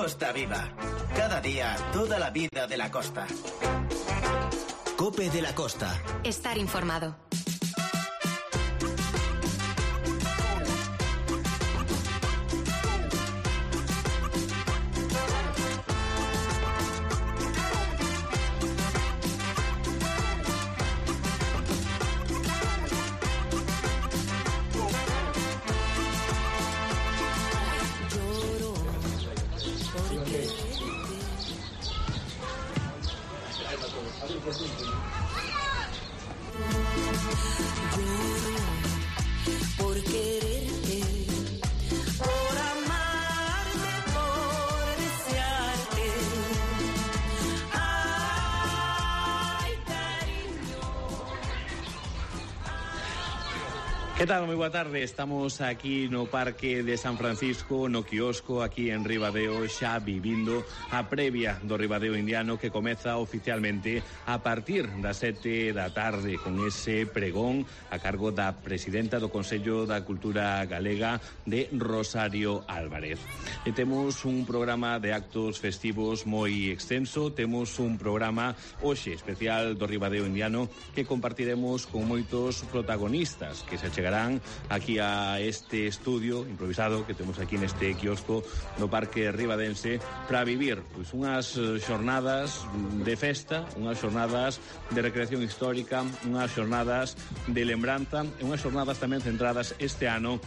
Costa Viva. Cada día, toda la vida de la costa. COPE de la Costa. Estar informado. Por quererte, por amarte, por desearte. Ay, cariño. Que tal? Moi boa tarde. Estamos aquí no Parque de San Francisco, no quiosco, aquí en Ribadeo, xa vivindo a previa do Ribadeo Indiano que comeza oficialmente a partir das 7 da tarde con ese pregón a cargo da presidenta do Consello da Cultura Galega de Rosario Álvarez. E temos un programa de actos festivos moi extenso, temos un programa hoxe especial do Ribadeo Indiano que compartiremos con moitos protagonistas que se chegarán aquí a este estudio improvisado que temos aquí neste quiosco no Parque Ribadense para vivir pois unhas xornadas de festa, unhas xornadas de recreación histórica, unhas xornadas de lembranza e unhas xornadas tamén centradas este ano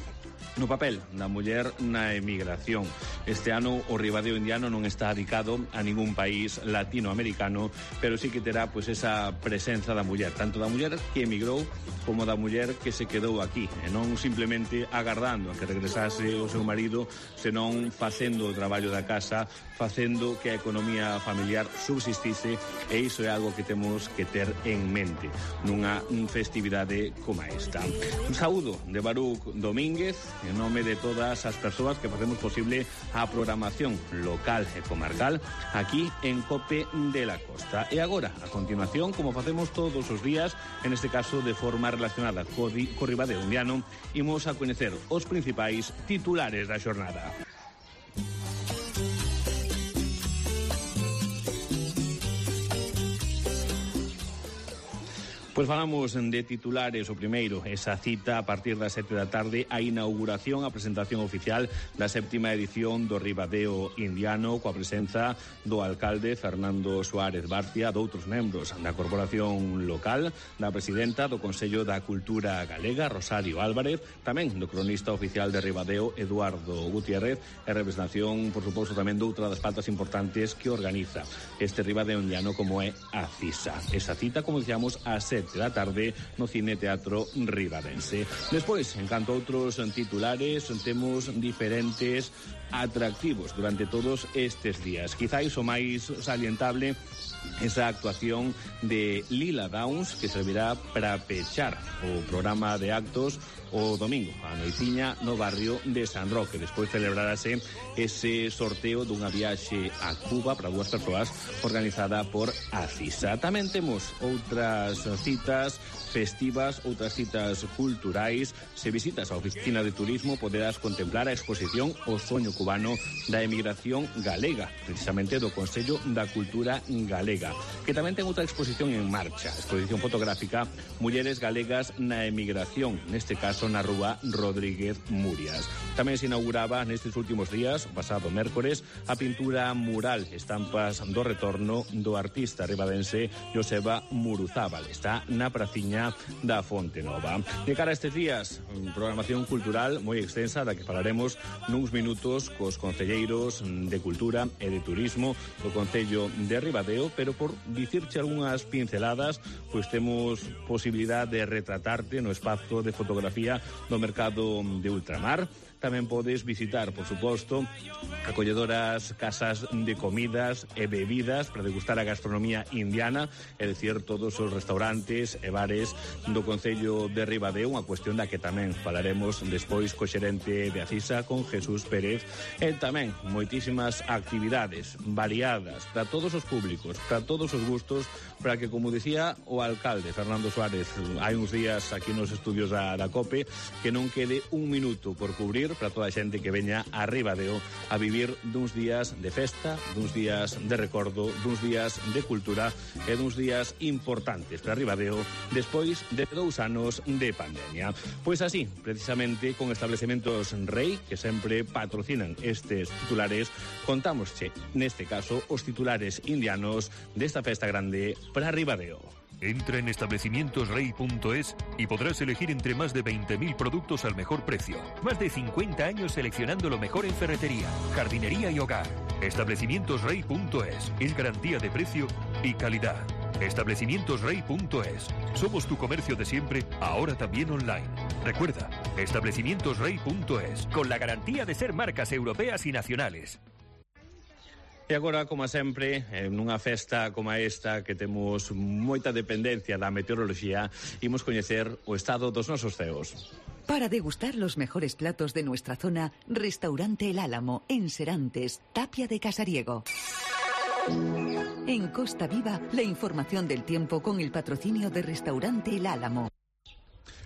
no papel da muller na emigración. Este ano o Ribadeo Indiano non está dedicado a ningún país latinoamericano, pero sí que terá pois esa presenza da muller, tanto da muller que emigrou como da muller que se quedou aquí, e non simplemente agardando a que regresase o seu marido, senón facendo o traballo da casa, facendo que a economía familiar subsistise, e iso é algo que temos que ter en mente nunha festividade como esta. Un saúdo de Baruch Domínguez en nome de todas as persoas que facemos posible a programación local e comarcal aquí en COPE de la Costa. E agora, a continuación, como facemos todos os días, en este caso de forma relacionada co Ribadeo Indiano, imos a coñecer os principais titulares da xornada. Pois falamos de titulares. O primeiro, esa cita a partir das 7 da tarde, a inauguración, a presentación oficial da 7ª edición do Ribadeo Indiano, coa presenza do alcalde Fernando Suárez Barcia, doutros membros da corporación local, da presidenta do Consello da Cultura Galega, Rosario Álvarez, tamén do cronista oficial de Ribadeo, Eduardo Gutiérrez, e representación, por suposto, tamén doutra das patas importantes que organiza este Ribadeo Indiano, como é a CISA. Esa cita, como dicíamos, a 7 da tarde no Cine Teatro Ribadense. Despois, en canto a outros titulares, temos diferentes atractivos durante todos estes días. Quizáis o máis salientable esa actuación de Lila Downs, que servirá para pechar o programa de actos o domingo, a noitiña no barrio de San Roque. Despois celebrarase ese sorteo dunha viaxe a Cuba para dúas persoas organizada por a CISA. Tamén temos outras citas festivas, outras citas culturais. Se visitas a oficina de turismo poderás contemplar a exposición O soño cubano da emigración galega, precisamente do Consello da Cultura Galega, que tamén ten outra exposición en marcha, exposición fotográfica Mulleres Galegas na Emigración, neste caso na Rúa Rodríguez Murias. Tamén se inauguraba nestes últimos días, o pasado mércores, a pintura mural Estampas do Retorno do artista ribadense Joseba Muruzábal. Está na praciña da Fonte Nova. De cara a estes días, programación cultural moi extensa da que falaremos nuns minutos cos concelleiros de Cultura e de Turismo do Concello de Ribadeo, pero por dicirche algunhas pinceladas, pois temos posibilidade de retratarte no espazo de fotografía do mercado de Ultramar. Tamén podes visitar, por suposto, acolledoras casas de comidas e bebidas para degustar a gastronomía indiana, é dicir, todos os restaurantes e bares do Concello de Ribadeo, unha cuestión da que tamén falaremos despois co xerente de Acisa, con Jesús Pérez, e tamén moitísimas actividades variadas para todos os públicos, para todos os gustos, para que, como dicía o alcalde Fernando Suárez hai uns días aquí nos estudios da COPE, que non quede un minuto por cubrir para toda a xente que veña a Ribadeo a vivir vivir duns días de festa, duns días de recordo, duns días de cultura e duns días importantes para Ribadeo despois de 2 anos de pandemia. Pois así, precisamente, con Establecementos Rei, que sempre patrocinan estes titulares, contámosche, neste caso, os titulares indianos desta festa grande para Ribadeo. Entra en establecimientosrey.es y podrás elegir entre más de 20.000 productos al mejor precio. Más de 50 años seleccionando lo mejor en ferretería, jardinería y hogar. Establecimientosrey.es es garantía de precio y calidad. Establecimientosrey.es. Somos tu comercio de siempre, ahora también online. Recuerda, establecimientosrey.es, con la garantía de ser marcas europeas y nacionales. E agora, como sempre, nunha festa como esta que temos moita dependencia da meteoroloxía, imos coñecer o estado dos nosos ceos. Para degustar los mejores platos de nuestra zona, Restaurante El Álamo, en Serantes, Tapia de Casariego. En Costa Viva, la información del tiempo con el patrocinio de Restaurante El Álamo.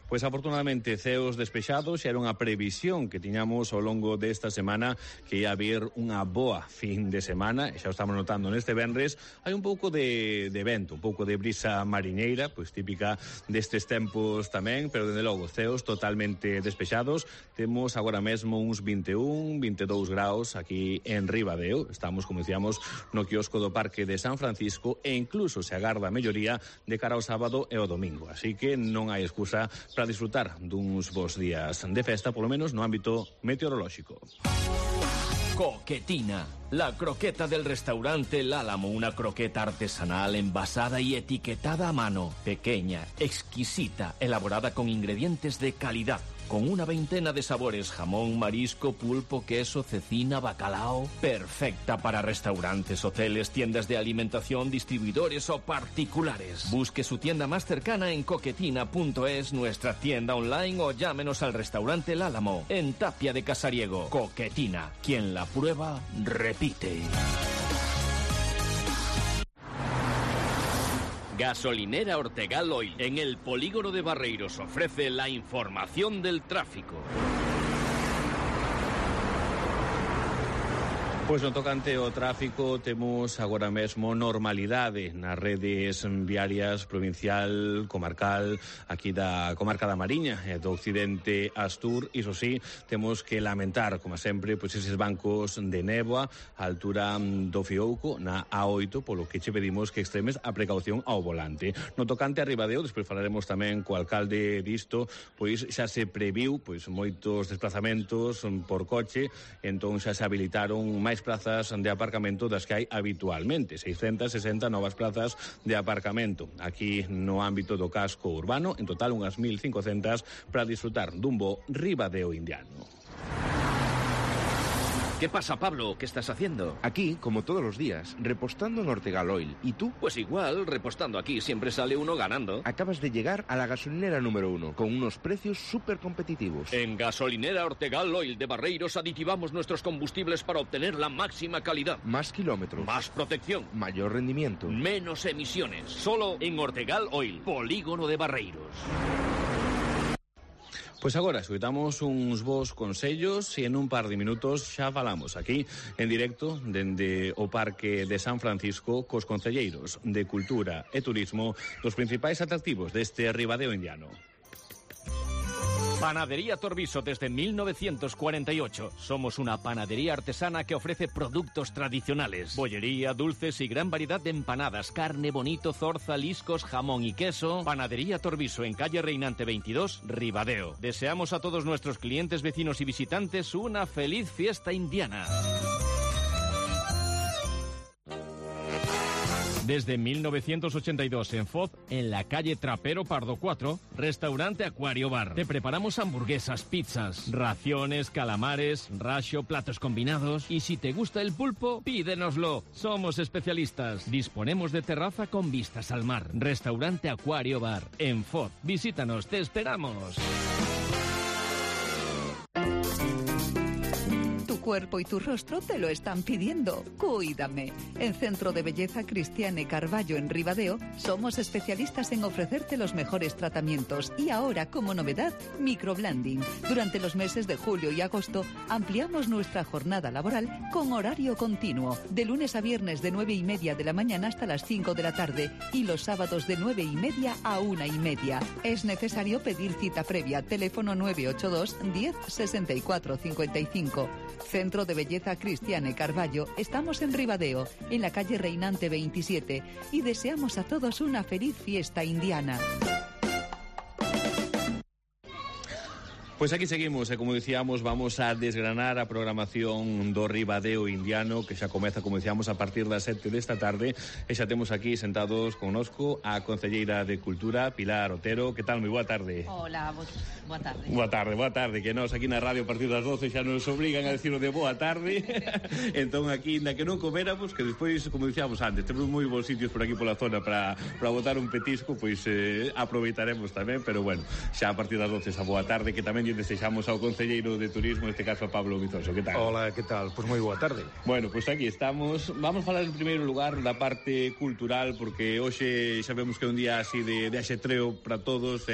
Pois afortunadamente ceos despexados era unha previsión que tiñamos ao longo desta semana que ia haber unha boa fin de semana, e xa o estamos notando neste venres. Hai un pouco de vento, un pouco de brisa mariñeira, pois típica destes tempos tamén, pero dende logo ceos totalmente despexados. Temos agora mesmo uns 21, 22 graus aquí en Ribadeo. Estamos, como dicíamos, no quiosco do Parque de San Francisco e incluso se agarda a melloría de cara ao sábado e ao domingo. Así que non hai excusa para disfrutar duns bons días de festa, polo menos no ámbito meteorolóxico. Coquetina, la croqueta del restaurante El Álamo, una croqueta artesanal envasada y etiquetada a mano, pequeña, exquisita, elaborada con ingredientes de calidad, con una veintena de sabores: jamón, marisco, pulpo, queso, cecina, bacalao. Perfecta para restaurantes, hoteles, tiendas de alimentación, distribuidores o particulares. Busque su tienda más cercana en coquetina.es, nuestra tienda online, o llámenos al restaurante El Álamo en Tapia de Casariego. Coquetina, quien la prueba, repite. Gasolinera Ortegal Oil, en el polígono de Barreiros, ofrece la información del tráfico. Pois no tocante ao tráfico temos agora mesmo normalidade nas redes viarias provincial, comarcal, aquí da comarca da Mariña e do occidente Astur. Iso sí, temos que lamentar, como sempre, pois eses bancos de néboa á altura do Fiouco, na A8, polo que che pedimos que extremes a precaución ao volante. No tocante a Ribadeo, despois falaremos tamén co alcalde disto, pois xa se previu pois moitos desplazamentos por coche, entón xa se habilitaron máis plazas de aparcamento das que hai habitualmente, 660 novas plazas de aparcamento aquí no ámbito do casco urbano, en total unhas 1.500 para disfrutar dun bo Ribadeo indiano. ¿Qué pasa, Pablo? ¿Qué estás haciendo? Aquí, como todos los días, repostando en Ortegal Oil. ¿Y tú? Pues igual, repostando aquí siempre sale uno ganando. Acabas de llegar a la gasolinera número 1, con unos precios súper competitivos. En Gasolinera Ortegal Oil de Barreiros aditivamos nuestros combustibles para obtener la máxima calidad. Más kilómetros. Más protección. Mayor rendimiento. Menos emisiones. Solo en Ortegal Oil, polígono de Barreiros. Pois agora escoitamos uns bons consellos e en un par de minutos xa falamos aquí en directo dende o Parque de San Francisco cos concelleiros de Cultura e Turismo dos principais atractivos deste Ribadeo indiano. Panadería Torviso desde 1948. Somos una panadería artesana que ofrece productos tradicionales. Bollería, dulces y gran variedad de empanadas, carne, bonito, zorza, liscos, jamón y queso. Panadería Torviso en calle Reinante 22, Ribadeo. Deseamos a todos nuestros clientes, vecinos y visitantes una feliz fiesta indiana. Desde 1982 en Foz, en la calle Trapero Pardo 4, restaurante Acuario Bar. Te preparamos hamburguesas, pizzas, raciones, calamares, rasho, platos combinados. Y si te gusta el pulpo, pídenoslo. Somos especialistas. Disponemos de terraza con vistas al mar. Restaurante Acuario Bar, en Foz. Visítanos, te esperamos. cuerpo y tu rostro te lo están pidiendo. Cuídame. En Centro de Belleza Cristiane Carballo en Ribadeo somos especialistas en ofrecerte los mejores tratamientos y ahora, como novedad, microblending. Durante los meses de julio y agosto ampliamos nuestra jornada laboral con horario continuo, de lunes a viernes de 9:30 de la mañana hasta las 5 de la tarde y los sábados de 9:30 a 1:30. Es necesario pedir cita previa. Teléfono 982 10 64 55. Centro de Belleza Cristiane Carballo. Estamos en Ribadeo, en la calle Reinante 27, y deseamos a todos una feliz fiesta indiana. Pois aquí seguimos e, como dicíamos, vamos a desgranar a programación do Ribadeo Indiano, que xa comeza, como dicíamos, a partir das 7 desta tarde, e xa temos aquí sentados connosco a concelleira de Cultura, Pilar Otero. Que tal? Moi boa tarde. Hola, boa tarde. Boa tarde, que nós aquí na radio a partir das 12 xa nos obrigan a decirlo de boa tarde. Entón aquí, na que non coméramos, que despois, como dicíamos antes, temos moi bons sitios por aquí pola zona para botar un petisco, pois aproveitaremos tamén, pero bueno, xa a partir das 12 esa boa tarde, que tamén desexamos ao concelleiro de Turismo, neste caso a Pablo Vizoso. Que tal? Hola, que tal? Pois moi boa tarde. Bueno, pois aquí estamos. Vamos falar en primeiro lugar da parte cultural, porque hoxe sabemos que é un día así de axetreo para todos.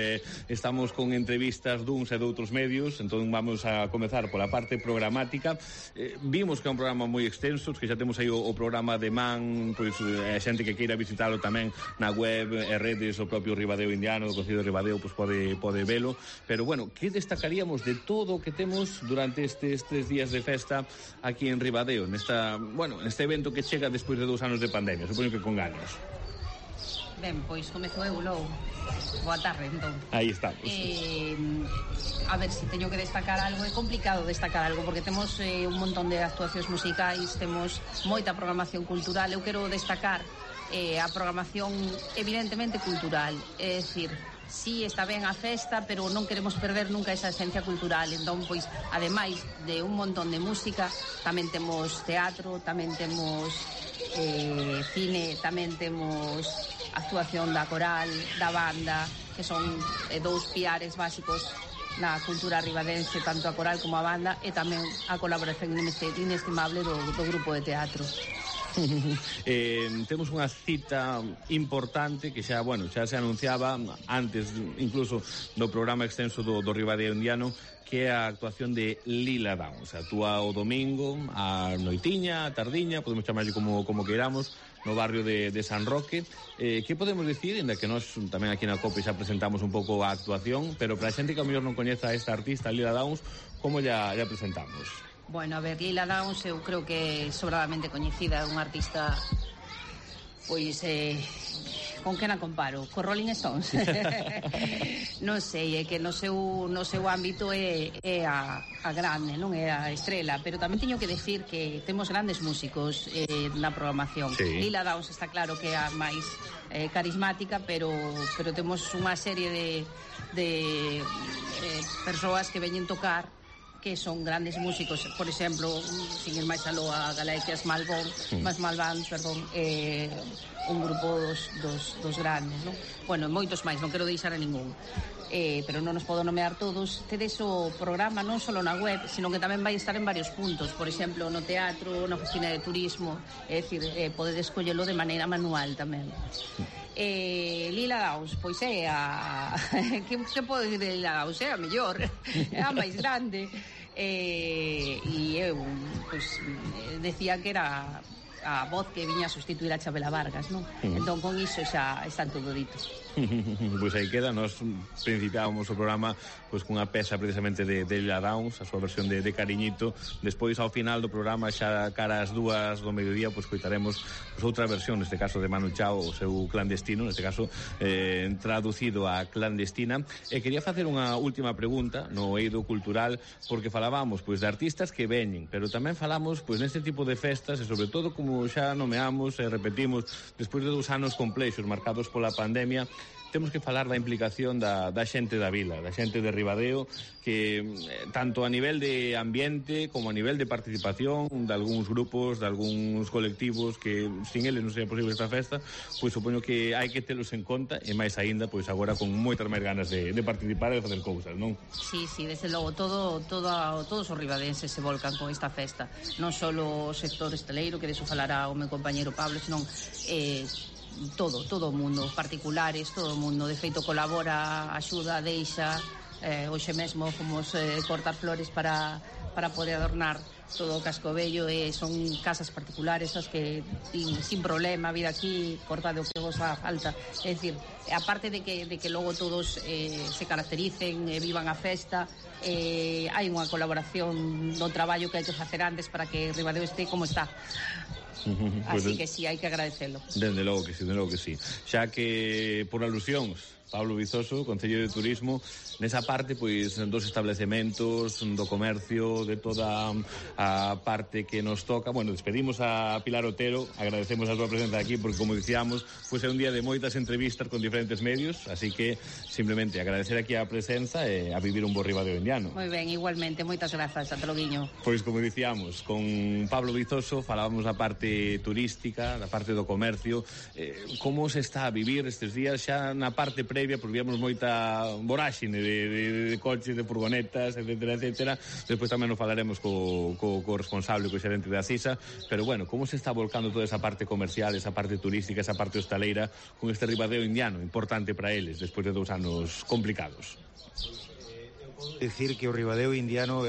Estamos con entrevistas duns e de outros medios, entón vamos a comezar pola parte programática. Vimos que é un programa moi extenso, que xa temos aí o programa de man, pois a xente que queira visitarlo tamén na web e redes, o propio Ribadeo Indiano, o Concello de Ribadeo, pois pode velo. Pero bueno, que destacaríamos de todo o que temos durante estes 3 días de festa aquí en Ribadeo, neste evento que chega despois de 2 anos de pandemia, supoño que con ganas. Ben, pois comezo eu logo. Boa tarde, entón. Aí estamos. A ver, se teño que destacar algo, é complicado destacar algo, porque temos un montón de actuacións musicais, temos moita programación cultural. Eu quero destacar a programación evidentemente cultural, é dicir, sí, está ben a festa, pero non queremos perder nunca esa esencia cultural. Entón, pois, ademais de un montón de música, tamén temos teatro, tamén temos cine, tamén temos actuación da coral, da banda, que son dous piares básicos na cultura ribadense, tanto a coral como a banda, e tamén a colaboración inestimable do grupo de teatro. Temos unha cita importante que xa se anunciaba antes incluso do programa extenso do Ribadeo Indiano, que é a actuación de Lila Downs. Actúa o domingo a noitiña, a tardiña, podemos chamarlle como queiramos, no barrio de San Roque. Que podemos dicir, ainda que nós tamén aquí na COPE xa presentamos un pouco a actuación, pero para a xente que ao mellor non coñeza a esta artista, Lila Downs, como ya presentamos? Bueno, a ver, Lila Downs eu creo que é sobradamente coñecida, é unha artista, pois, con que na comparo? Co Rolling Stones? Non sei, é que no seu ámbito é a grande, non é a estrela, pero tamén teño que decir que temos grandes músicos na programación. Sí. Lila Downs está claro que é a máis carismática, pero temos unha serie de persoas que veñen tocar que son grandes músicos, por exemplo, sin ir máis aló, a Galaxias Malbón, un grupo dos grandes, non? Bueno, moitos máis, non quero deixar a ningún, pero non nos podo nomear todos. Tedes o programa non só na web, sino que tamén vai estar en varios puntos, por exemplo, no teatro, na oficina de turismo, é dicir, podedes collelo de maneira manual tamén. Lila Downs, pois é a... que podo dicir de Lila Downs? É a mellor, é a máis grande, e eu, pois, decía que era a voz que viña a sustituir a Chabela Vargas, non? Entón, con iso xa están todo dito. Pois aí queda, nós principiábamos o programa pois cunha peza precisamente de Lila Downs, a súa versión de Cariñito. Despois, ao final do programa, xa cara ás 2 do mediodía, pois coitaremos outra versión, neste caso de Manu Chao, o seu Clandestino, neste caso traducido a Clandestina. E quería facer unha última pregunta no eido cultural, porque falábamos pois de artistas que veñen, pero tamén falamos pois neste tipo de festas, e sobre todo, como como xa nomeamos e repetimos, despois de 2 anos complexos marcados pola pandemia, temos que falar da implicación da xente da vila, da xente de Ribadeo, que tanto a nivel de ambiente como a nivel de participación de algúns grupos, de algúns colectivos que sin eles non sería posible esta festa, pois supoño que hai que telos en conta, e máis aínda, pois agora con moitas máis ganas de participar e de facer cousas, non? Sí, desde logo, todos os ribadenses se volcan con esta festa, non só o sector hosteleiro, que deso falará o meu compañeiro Pablo, senón todo o mundo, particulares, todo o mundo, de feito colabora, axuda, deixa, hoxe mesmo fomos cortar flores para poder adornar todo o casco vello, e son casas particulares as que sin problema vir aquí, cortar o que vos haga falta. É dicir, aparte de que logo todos se caractericen e vivan a festa, hai unha colaboración no traballo que hai que facer antes para que Ribadeo este como está. Así que sí, hai que agradecelo. Dende logo que sí. Xa que, por alusións, Pablo Vizoso, Concello de Turismo, nesa parte, pois, dos establecementos, do comercio, de toda a parte que nos toca. Bueno, despedimos a Pilar Otero, agradecemos a súa presenza aquí, porque, como dicíamos, pois é un día de moitas entrevistas con diferentes medios, así que, simplemente, agradecer aquí a presenza e a vivir un bo Ribadeo indiano. Moi ben, igualmente, moitas grazas, ata loguiño. Pois, como dicíamos, con Pablo Vizoso falábamos da parte turística, da parte do comercio, como se está a vivir estes días, xa na parte previa, porque víamos moita voráxine de coches, de furgonetas, etcétera. Despois tamén nos falaremos co responsable, co xerente da CISA, pero bueno, como se está volcando toda esa parte comercial, esa parte turística, esa parte hostaleira con este Ribadeo indiano, importante para eles, despois de 2 anos complicados? Decir que o Ribadeo indiano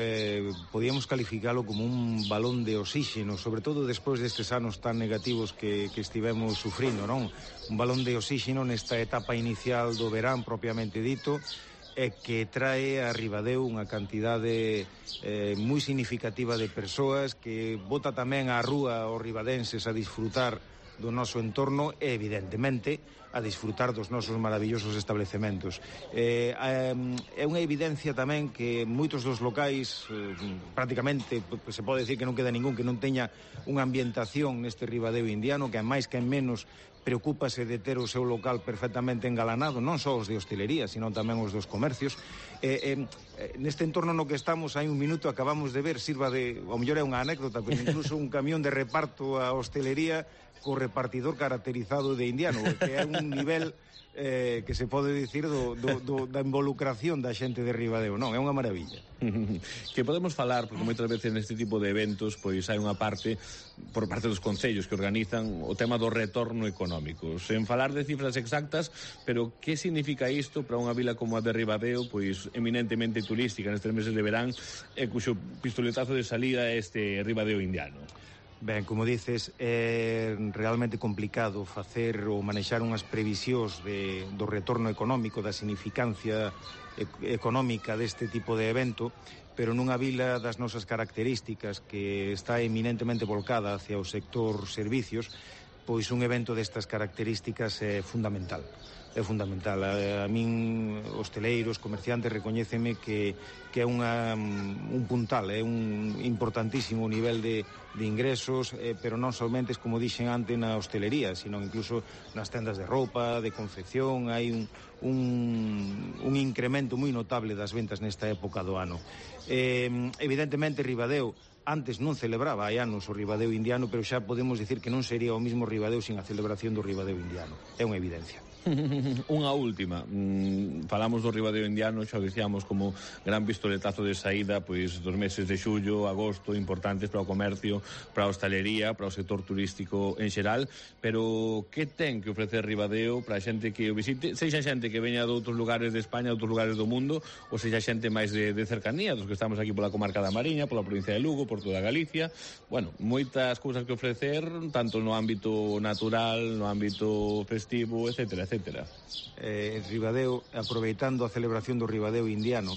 podíamos calificalo como un balón de oxígeno, sobre todo despois destes anos tan negativos que estivemos sufrindo, non? Un balón de oxígeno nesta etapa inicial do verán propiamente dito, que trae a Ribadeo unha cantidade moi significativa de persoas, que bota tamén á rúa os ribadenses a disfrutar do noso entorno e, evidentemente, a disfrutar dos nosos maravillosos establecementos. É unha evidencia tamén que moitos dos locais, prácticamente, se pode decir que non queda ningún que non teña unha ambientación neste Ribadeo indiano, que a máis que en menos preocúpase de ter o seu local perfectamente engalanado, non só os de hostelería, sino tamén os dos comercios. Neste entorno no que estamos, hai un minuto acabamos de ver, sirva de, ao mellor é unha anécdota, pero incluso un camión de reparto a hostelería co repartidor caracterizado de indiano, que é un nivel que se pode dicir da involucración da xente de Ribadeo. Non, é unha maravilla. Que podemos falar, porque moitas veces neste tipo de eventos pois hai unha parte, por parte dos concellos que organizan, o tema do retorno económico. Sen falar de cifras exactas, pero que significa isto para unha vila como a de Ribadeo, pois eminentemente turística nestes meses de verán, e cuxo pistoletazo de salida é este Ribadeo indiano? Ben, como dices, é realmente complicado facer ou manexar unhas previsións do retorno económico, da significancia económica deste tipo de evento, pero nunha vila das nosas características, que está eminentemente volcada hacia o sector servicios, pois un evento destas características é fundamental. É fundamental. A min, hosteleiros, comerciantes, recoñéceme que é un puntal, é un importantísimo nivel de ingresos, pero non somente, como dixen antes, na hostelería, sino incluso nas tendas de roupa, de confección. Hai un incremento moi notable das ventas nesta época do ano. Evidentemente, Ribadeo antes non celebraba, hai anos, o Ribadeo indiano, pero xa podemos dicir que non sería o mismo Ribadeo sin a celebración do Ribadeo indiano. É unha evidencia. Unha última, falamos do Ribadeo indiano, xa o dicíamos como gran pistoletazo de saída, pois dos meses de xullo, agosto, importantes para o comercio, para a hostalería, para o sector turístico en xeral, pero que ten que ofrecer Ribadeo para a xente que o visite, sexa xente que veña de outros lugares de España, de outros lugares do mundo, ou sexa xente máis de cercanía, dos que estamos aquí pola comarca da Mariña, pola provincia de Lugo, por toda Galicia. Bueno, moitas cousas que ofrecer, tanto no ámbito natural, no ámbito festivo, etcétera. Ribadeo, aproveitando a celebración do Ribadeo indiano,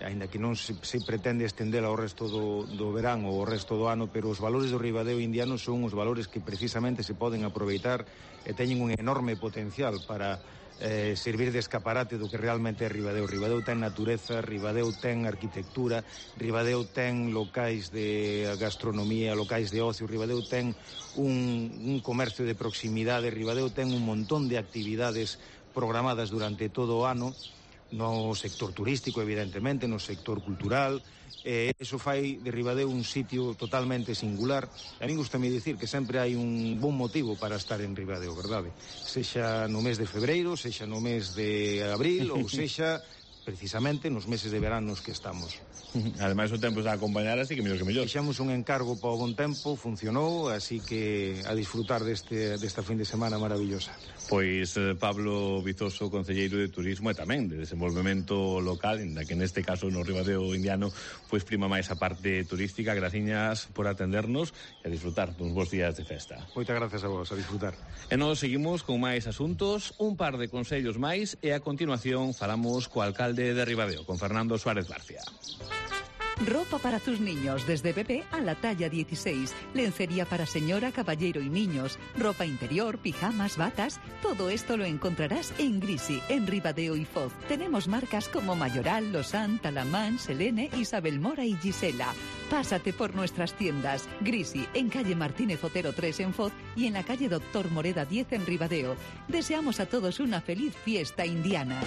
aínda que non se pretende estendela ao resto do verán ou ao resto do ano, pero os valores do Ribadeo indiano son os valores que precisamente se poden aproveitar e teñen un enorme potencial para servir de escaparate do que realmente é Ribadeo. Ribadeo ten natureza, Ribadeo ten arquitectura, Ribadeo ten locais de gastronomía, locais de ocio, Ribadeo ten un comercio de proximidade, Ribadeo ten un montón de actividades programadas durante todo o ano, no sector turístico, evidentemente, no sector cultural. Eso fai de Ribadeo un sitio totalmente singular. A min gustame dicir que sempre hai un bon motivo para estar en Ribadeo, verdade? Sexa no mes de febreiro, sexa no mes de abril ou sexa precisamente nos meses de verán nos que estamos. Ademais o tempo está a acompañar, así que mellor que mellor. Fixamos un encargo para o bon tempo, funcionou, así que a disfrutar desta fin de semana maravillosa. Pois Pablo Vizoso, concelleiro de Turismo e tamén de desenvolvemento local, en que neste caso no Ribadeo indiano pois prima máis a parte turística. Graciñas por atendernos e a disfrutar duns bons días de festa. Moitas gracias a vos, a disfrutar. E nós seguimos con máis asuntos, un par de consellos máis e a continuación falamos co alcalde de Ribadeo, con Fernando Suárez García. Ropa para tus niños, desde bebé a la talla 16. Lencería para señora, caballero y niños. Ropa interior, pijamas, batas. Todo esto lo encontrarás en Grisi, en Ribadeo y Foz. Tenemos marcas como Mayoral, Lausanne, Talamán, Selene, Isabel Mora y Gisela. Pásate por nuestras tiendas. Grisi, en calle Martínez Otero 3 en Foz y en la calle Doctor Moreda 10 en Ribadeo. Deseamos a todos una feliz fiesta indiana.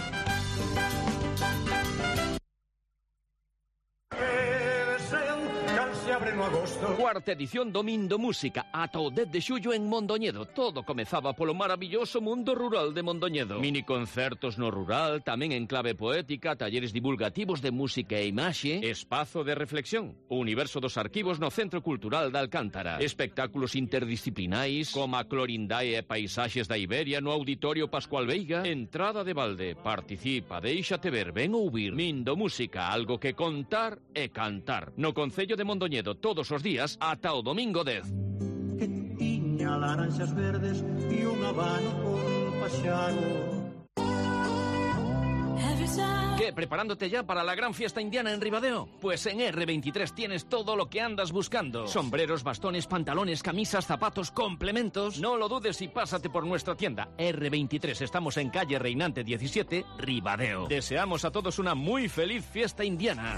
Cuarta edición do Mindo Música, ata o 10 de xullo en Mondoñedo. Todo comezaba polo maravilloso mundo rural de Mondoñedo. Mini concertos no rural, tamén en clave poética, talleres divulgativos de música e imaxe, espazo de reflexión, o universo dos arquivos no Centro Cultural da Alcántara, espectáculos interdisciplinais, como a Clorindae e paisaxes da Iberia no Auditorio Pascual Veiga, entrada de balde, participa, déixate ver, ven ouvir. Mindo Música, algo que contar e cantar. No Concello de Mondoñedo, todos os días ata o domingo 10. Que tiña laranxas verdes e un abano con paxaro. ¿Qué? ¿Preparándote ya para la gran fiesta indiana en Ribadeo? Pues en R23 tienes todo lo que andas buscando. Sombreros, bastones, pantalones, camisas, zapatos, complementos. No lo dudes y pásate por nuestra tienda. R23, estamos en calle Reinante 17, Ribadeo. Deseamos a todos una muy feliz fiesta indiana.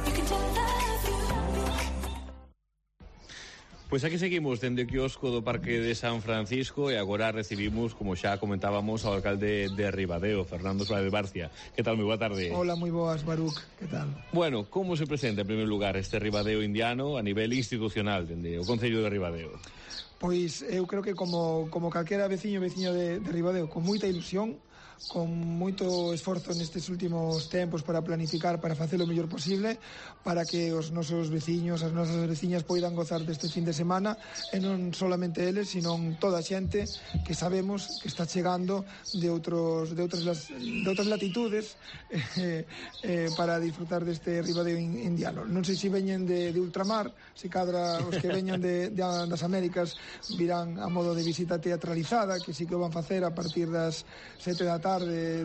Pois aquí seguimos dende o quiosco do Parque de San Francisco e agora recibimos, como xa comentábamos, ao alcalde de Ribadeo, Fernando Suárez García. Que tal? Moi boa tarde. Hola, moi boas, Baruch. Que tal? Bueno, como se presenta en primer lugar este Ribadeo indiano a nivel institucional dende o Concello de Ribadeo? Pois eu creo que como calquera veciño de Ribadeo, con moita ilusión, con moito esforzo nestes últimos tempos para planificar, para facer o mellor posible, para que os nosos veciños, as nosas veciñas poidan gozar deste fin de semana, e non solamente eles, sino toda a xente que sabemos que está chegando de outras latitudes para disfrutar deste Ribadeo indiano. Non sei se veñen de ultramar, se cadra os que veñan das Américas virán a modo de visita teatralizada, que sí que o van facer a partir das 7 da tarde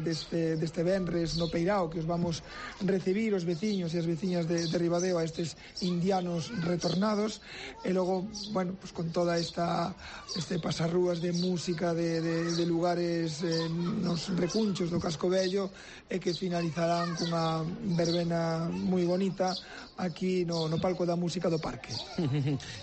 deste venres no Peirao, que os vamos recibir os veciños e as veciñas de Ribadeo a estes indianos retornados, e logo, bueno, pues con toda este pasarrúas de música de lugares nos recunchos do Casco Vello, e que finalizarán cunha verbena moi bonita aquí no palco da música do parque.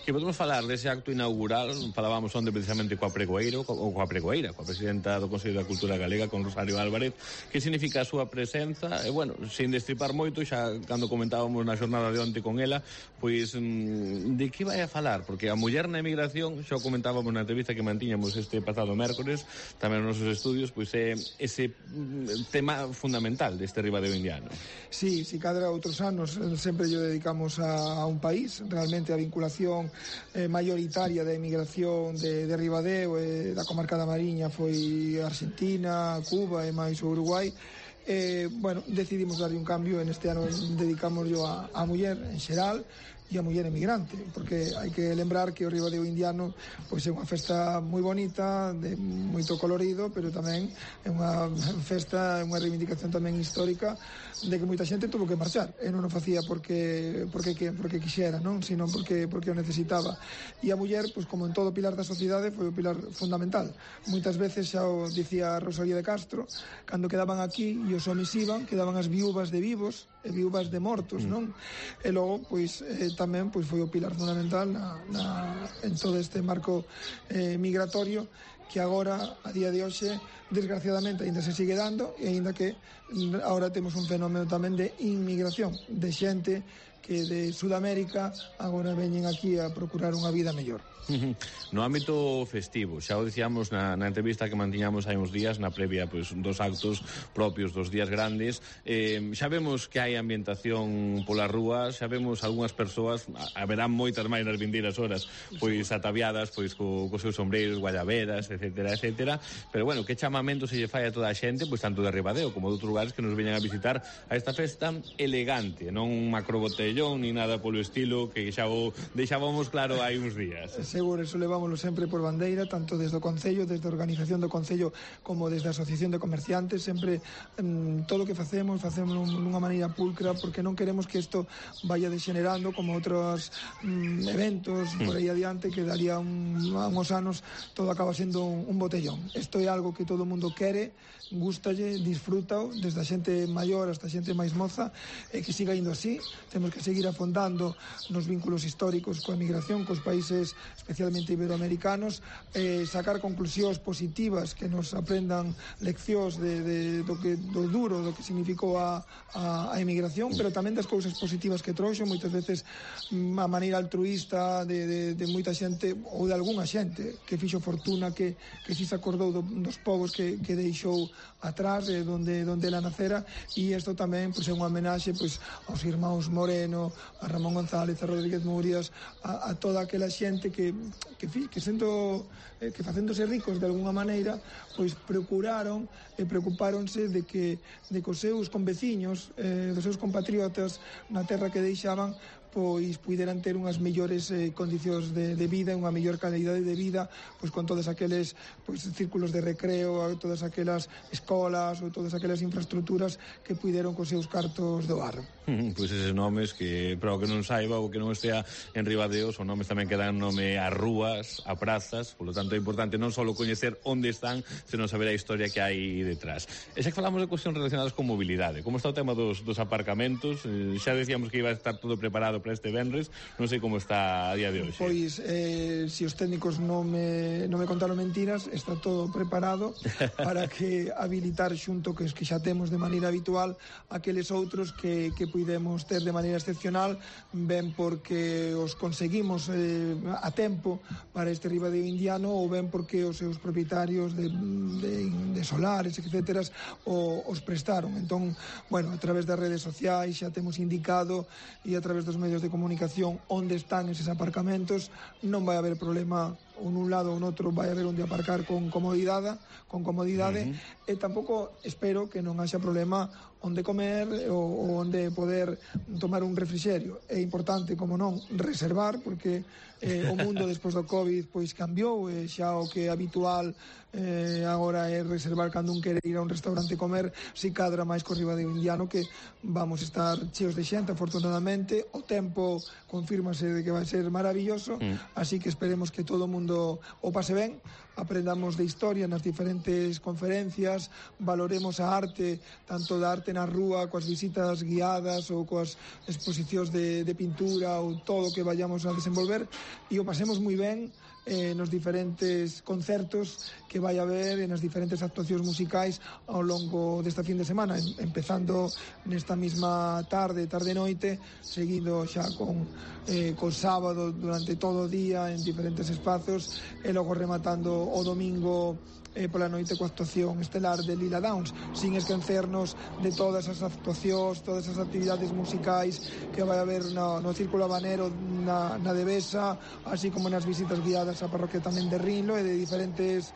Que podemos falar dese acto inaugural, falábamos onde precisamente coa pregoeira, coa presidenta do Consello da Cultura Galega, con Rosario Álvarez. Que significa a súa presenza? E, bueno, sin destripar moito, xa cando comentábamos na xornada de onte con ela, pois, de que vai a falar? Porque a muller na emigración, xa o comentábamos na entrevista que mantiñamos este pasado mércores, tamén nos nosos estudios, pois é ese tema fundamental deste Ribadeo indiano. Sí, si cadra outros anos sempre lle dedicamos a un país. Realmente a vinculación mayoritaria da emigración de Ribadeo e da comarca da Mariña foi Argentina, Cuba e máis o Uruguai. Bueno, decidimos darlle un cambio. En este ano dedicámoslo a muller en xeral, e a muller emigrante, porque hai que lembrar que o Ribadeo indiano pois é unha festa moi bonita, de moito colorido, pero tamén é unha festa, unha reivindicación tamén histórica de que moita xente tuvo que marchar, e non o facía porque quixera, non, sino porque o necesitaba. E a muller, pois como en todo pilar da sociedade, foi o pilar fundamental. Moitas veces xa o dicía Rosalía de Castro, cando quedaban aquí e os homes iban, quedaban as viúvas de vivos e viúvas de mortos, non? E logo, pois, tamén pois foi o pilar fundamental en todo este marco migratorio que agora, a día de hoxe, desgraciadamente, ainda se sigue dando, e ainda que agora temos un fenómeno tamén de inmigración, de xente que de Sudamérica agora veñen aquí a procurar unha vida mellor. No ámbito festivo, xa o dicíamos na entrevista que mantiñamos hai uns días, na previa pois, dos actos propios dos días grandes, xa vemos que hai ambientación polas rúas, xa vemos algunhas persoas, haberán moitas máis nas vindeiras horas, pois ataviadas pois cos seus sombreiros, guayaberas, etcétera, etcétera, pero bueno, que chamamento se lle fai a toda a xente, pois tanto de Ribadeo como de outros lugares que nos veñan a visitar a esta festa elegante, non un macrobotellón ni nada polo estilo que xa o deixábamos claro hai uns días. Seguro, eso levámoslo sempre por bandeira, tanto desde o Concello, desde a organización do Concello, como desde a Asociación de Comerciantes, sempre todo o que facemos dunha maneira pulcra, porque non queremos que isto vaya degenerando como outros eventos por aí adiante, que daría uns anos todo acaba sendo un botellón. Isto é algo que todo o mundo quere, gústalle, disfrútao, desde a xente maior hasta a xente máis moza, e que siga indo así. Temos que seguir afondando nos vínculos históricos coa emigración, cos países especialmente iberoamericanos, sacar conclusións positivas que nos aprendan leccións do duro, do que significou a emigración, pero tamén das cousas positivas que trouxo, moitas veces a maneira altruísta de moita xente, ou de algunha xente que fixo fortuna, que si se acordou dos povos que deixou atrás, donde ela nacera, e isto tamén pois, é unha homenaxe pois, aos irmáns Moreno, a Ramón González, a Rodríguez Murias, a toda aquela xente que facéndose ricos de alguna maneira, pois procuraron e preocupáronse de que os seus conveciños, dos seus compatriotas na terra que deixaban, pois puderan ter unhas mellores condicións de vida, unha mellor calidade de vida, pois con todos aqueles pois círculos de recreo, todas aquelas escolas ou todas aquelas infraestructuras que puderon cos seus cartos doar. Pois eses nomes que, para o que non saiba ou que non estea en Ribadeo, son nomes tamén que dan nome a rúas, a prazas, polo tanto é importante non só coñecer onde están, senón saber a historia que hai detrás. E xa que falamos de cuestións relacionadas con mobilidade, como está o tema dos aparcamentos? Xa decíamos que iba a estar todo preparado para este venres, non sei como está a día de hoxe. Pois, se os técnicos non me contaron mentiras, está todo preparado para que habilitar xunto que xa temos de maneira habitual aqueles outros que puidemos ter de maneira excepcional, ben porque os conseguimos a tempo para este Ribadeo indiano, ou ben porque os seus propietarios de solares, etcétera, os prestaron. Entón, bueno, a través das redes sociais xa temos indicado, e a través dos medios de comunicación onde están eses aparcamentos. Non vai haber problema ou nun lado ou noutro, vai haber onde aparcar con comodidade, e tampouco espero que non haxa problema onde comer ou onde poder tomar un refrixerio. É importante, como non, reservar, porque o mundo despois do COVID pois cambiou, e xa o que é habitual agora é reservar cando un quere ir a un restaurante comer, si cadra máis co Ribadeo indiano, que vamos estar cheos de xente, afortunadamente. O tempo confírmase de que vai ser maravilloso, así que esperemos que todo o mundo o pase ben, aprendamos de historia nas diferentes conferencias, valoremos a arte, tanto da arte na rúa, coas visitas guiadas ou coas exposicións de pintura, ou todo o que vayamos a desenvolver, e o pasemos moi ben nos diferentes concertos que vai haber, e nas diferentes actuacións musicais ao longo desta fin de semana, empezando nesta mesma tarde-noite, seguindo xa con sábado durante todo o día en diferentes espazos, e logo rematando o domingo pola noite coa actuación estelar de Lila Downs, sin esquecernos de todas as actuacións, todas as actividades musicais que vai haber no Círculo Habanero, na Devesa, así como nas visitas guiadas desa parroquia tamén de Rinlo e de diferentes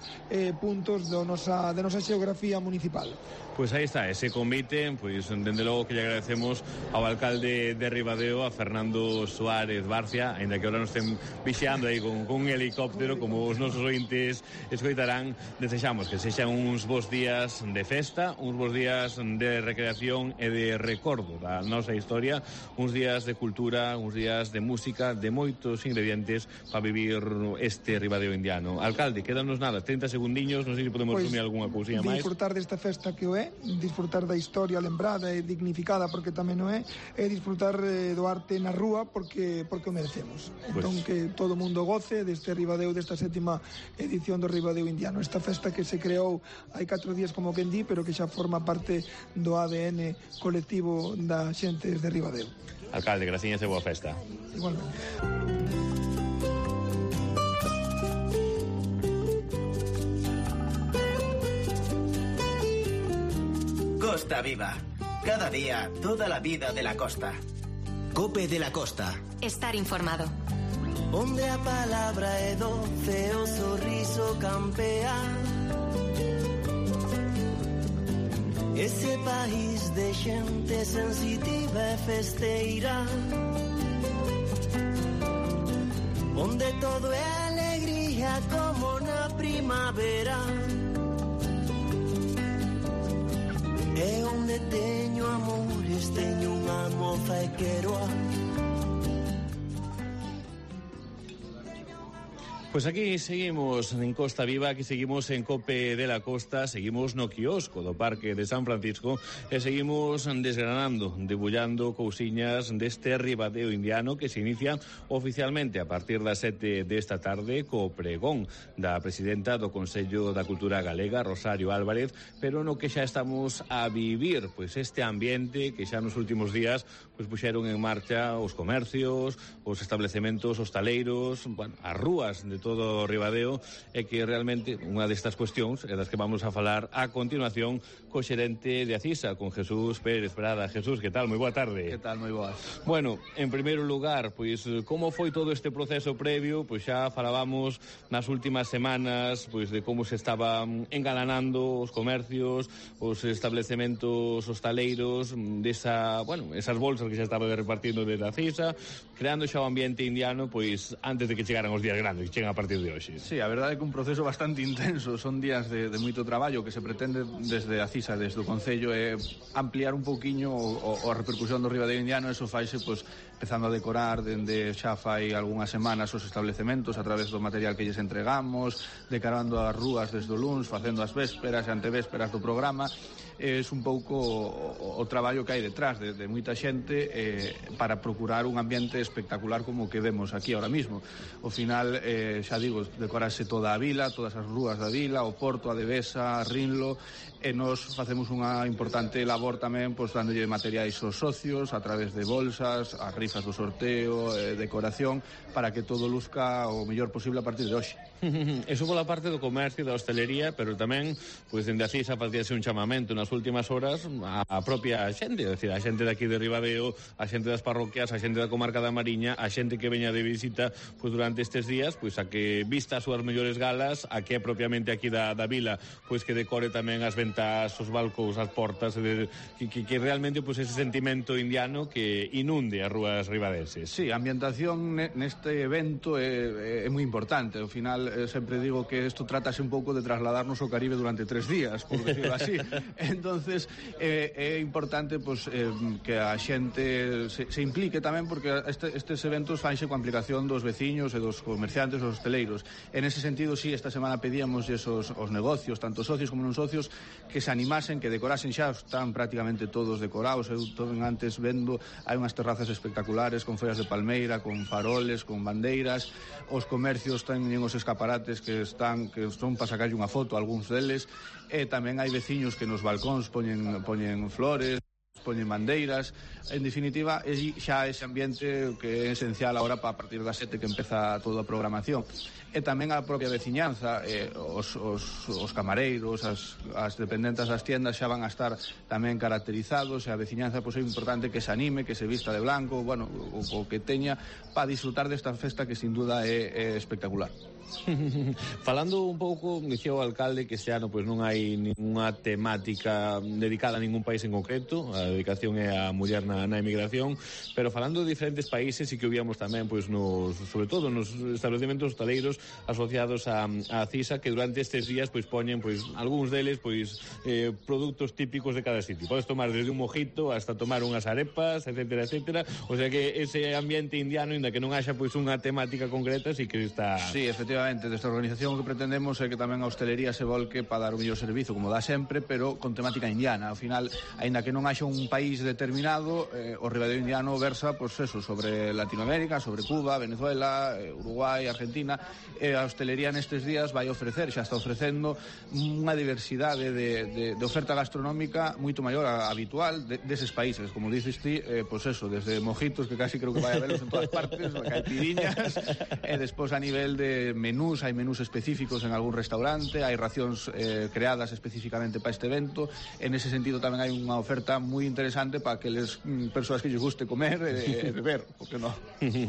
puntos da nosa xeografía municipal. Pois aí está, ese convite, pois dende logo que lle agradecemos ao alcalde de Ribadeo, a Fernando Suárez Barcia, aínda que agora nos estén vixiando aí con un helicóptero, como os nosos ointes escoitarán. Desexamos que sexan uns bons días de festa, uns bons días de recreación e de recordo da nosa historia, uns días de cultura, uns días de música, de moitos ingredientes para vivir este Ribadeo indiano. Alcalde, quédanos nada, 30 segundiños, non sei se podemos resumir algunha cousinha máis. Disfrutar desta festa que o é, disfrutar da historia lembrada e dignificada porque tamén o é, e disfrutar do arte na rúa porque o merecemos. Entón que todo o mundo goce deste Ribadeo, desta 7ª edición do Ribadeo indiano. Esta festa que se creou hai 4 días como quen di, pero que xa forma parte do ADN colectivo da xente de Ribadeo. Alcalde, graciñas e boa festa. Igualmente. Costa Viva. Cada día, toda la vida de la costa. Cope de la Costa. Estar informado. Onde a palabra é doce, o sorriso campea. Ese país de xente sensitiva e festeira, onde todo é alegría como na primavera. E onde teño amores, teño unha moza e quero a... Pues aquí seguimos en Costa Viva, aquí seguimos en Cope de la Costa, seguimos no quiosco do Parque de San Francisco e seguimos desgranando, debullando cousiñas deste Ribadeo indiano que se inicia oficialmente a partir das 7 desta tarde co pregón da presidenta do Consello da Cultura Galega, Rosario Álvarez, pero no que xa estamos a vivir pois este ambiente que xa nos últimos días pois puxeron en marcha os comercios, os establecementos hostaleiros, bueno, as rúas de todo o Ribadeo, e que realmente unha destas cuestións é das que vamos a falar a continuación co xerente de Acisa, con Jesús Pérez Prada. Jesús, que tal? Moi boa tarde. Que tal? Moi boas. Bueno, en primeiro lugar, pois como foi todo este proceso previo? Pois xa falábamos nas últimas semanas pois de como se estaban engalanando os comercios, os establecementos hostaleiros, desa, bueno, esas bolsas que xa estaba repartindo desde Acisa, creando xa o ambiente indiano, pois antes de que chegaran os días grandes, que chegan a partir de hoxe. Sí, a verdade é que un proceso bastante intenso, son días de moito traballo que se pretende desde Acisa, desde o Concello, é ampliar un pouquiño a repercusión do Ribadeo indiano. Eso faise, pois, empezando a decorar dende xa fai algunhas semanas os establecementos a través do material que lles entregamos, decorando as rúas desde o luns, facendo as vésperas e antevésperas do programa. É un pouco o traballo que hai detrás de moita xente para procurar un ambiente espectacular como o que vemos aquí ahora mismo. Ao final, xa digo, decorarse toda a vila, todas as rúas da vila, o Porto, a Devesa, a Rinlo, e nos facemos unha importante labor tamén, pois, dándolle materiais aos socios a través de bolsas, as rifas do sorteo, decoración, para que todo luzca o mellor posible a partir de hoxe. Eso pola parte do comercio e da hostelería, pero tamén, pois, dende Acisa facíase un chamamento nas últimas horas a propia xente, é dicir, a xente de aquí de Ribadeo, a xente das parroquias, a xente da comarca da Mariña, a xente que veña de visita, pois, durante estes días, pois, a que vista as súas mellores galas, a que é propiamente aquí da vila, pois, que decore tamén as ventas, os balcóns, as portas, que realmente, pois, ese sentimento indiano que inunde as rúas ribadenses. Sí, a ambientación neste evento é moi importante. Ao final, sempre digo que isto trátase un pouco de trasladarnos ao Caribe durante 3 días, por decirlo así. Entonces, é importante, pois, que a xente se implique tamén, porque estes eventos fanse coa implicación dos veciños e dos comerciantes, dos hosteleiros. En ese sentido, sí, esta semana pedíamos os negocios, tanto socios como non socios, que se animasen, que decorasen. Xa están prácticamente todos decorados. Eu tomen antes vendo, hai unhas terrazas espectaculares con follas de palmeira, con faroles, con bandeiras. Os comercios teñen os escaparates que son para sacarlle unha foto, algúns deles, e tamén hai veciños que nos balcóns poñen flores, poñen bandeiras, en definitiva, xa ese ambiente que é esencial agora a partir das 7 que empeza toda a programación. E tamén a propia veciñanza, os camareiros, as dependentes das tiendas xa van a estar tamén caracterizados, e a veciñanza pois é importante que se anime, que se vista de blanco, bueno, o que teña para disfrutar desta festa que sin duda é espectacular. Falando un pouco, dicía o alcalde que este ano pois non hai ninguna temática dedicada a ningún país en concreto, a dedicación é a muller na emigración, pero falando de diferentes países e que o víamos tamén pois sobre todo nos establecimentos hostaleiros asociados a CISA, que durante estes días pois poñen pois algúns deles pois produtos típicos de cada sitio. Podes tomar desde un mojito hasta tomar unhas arepas, etcétera, etcétera. O sea que ese ambiente indiano, inda que non haxa pois unha temática concreta, sí que está... Sí, efectivamente, desta organización o que pretendemos é que tamén a hostelería se volque para dar o mellor servizo, como dá sempre, pero con temática indiana. Ao final, aínda que non haxa un país determinado, o Ribadeo indiano versa, pois eso, sobre Latinoamérica, sobre Cuba, Venezuela, Uruguai, Argentina. A hostelería nestes días vai ofrecer, xa está ofrecendo, unha diversidade de oferta gastronómica moito maior a habitual deses países, como dices ti, pois eso, desde mojitos, que casi creo que vai a velos en todas partes, caipiriñas, e despois a nivel de menús, hai menús específicos en algún restaurante, hai racións creadas específicamente para este evento. En ese sentido tamén hai unha oferta moi interesante para aqueles persoas que lles guste comer e beber, porque non?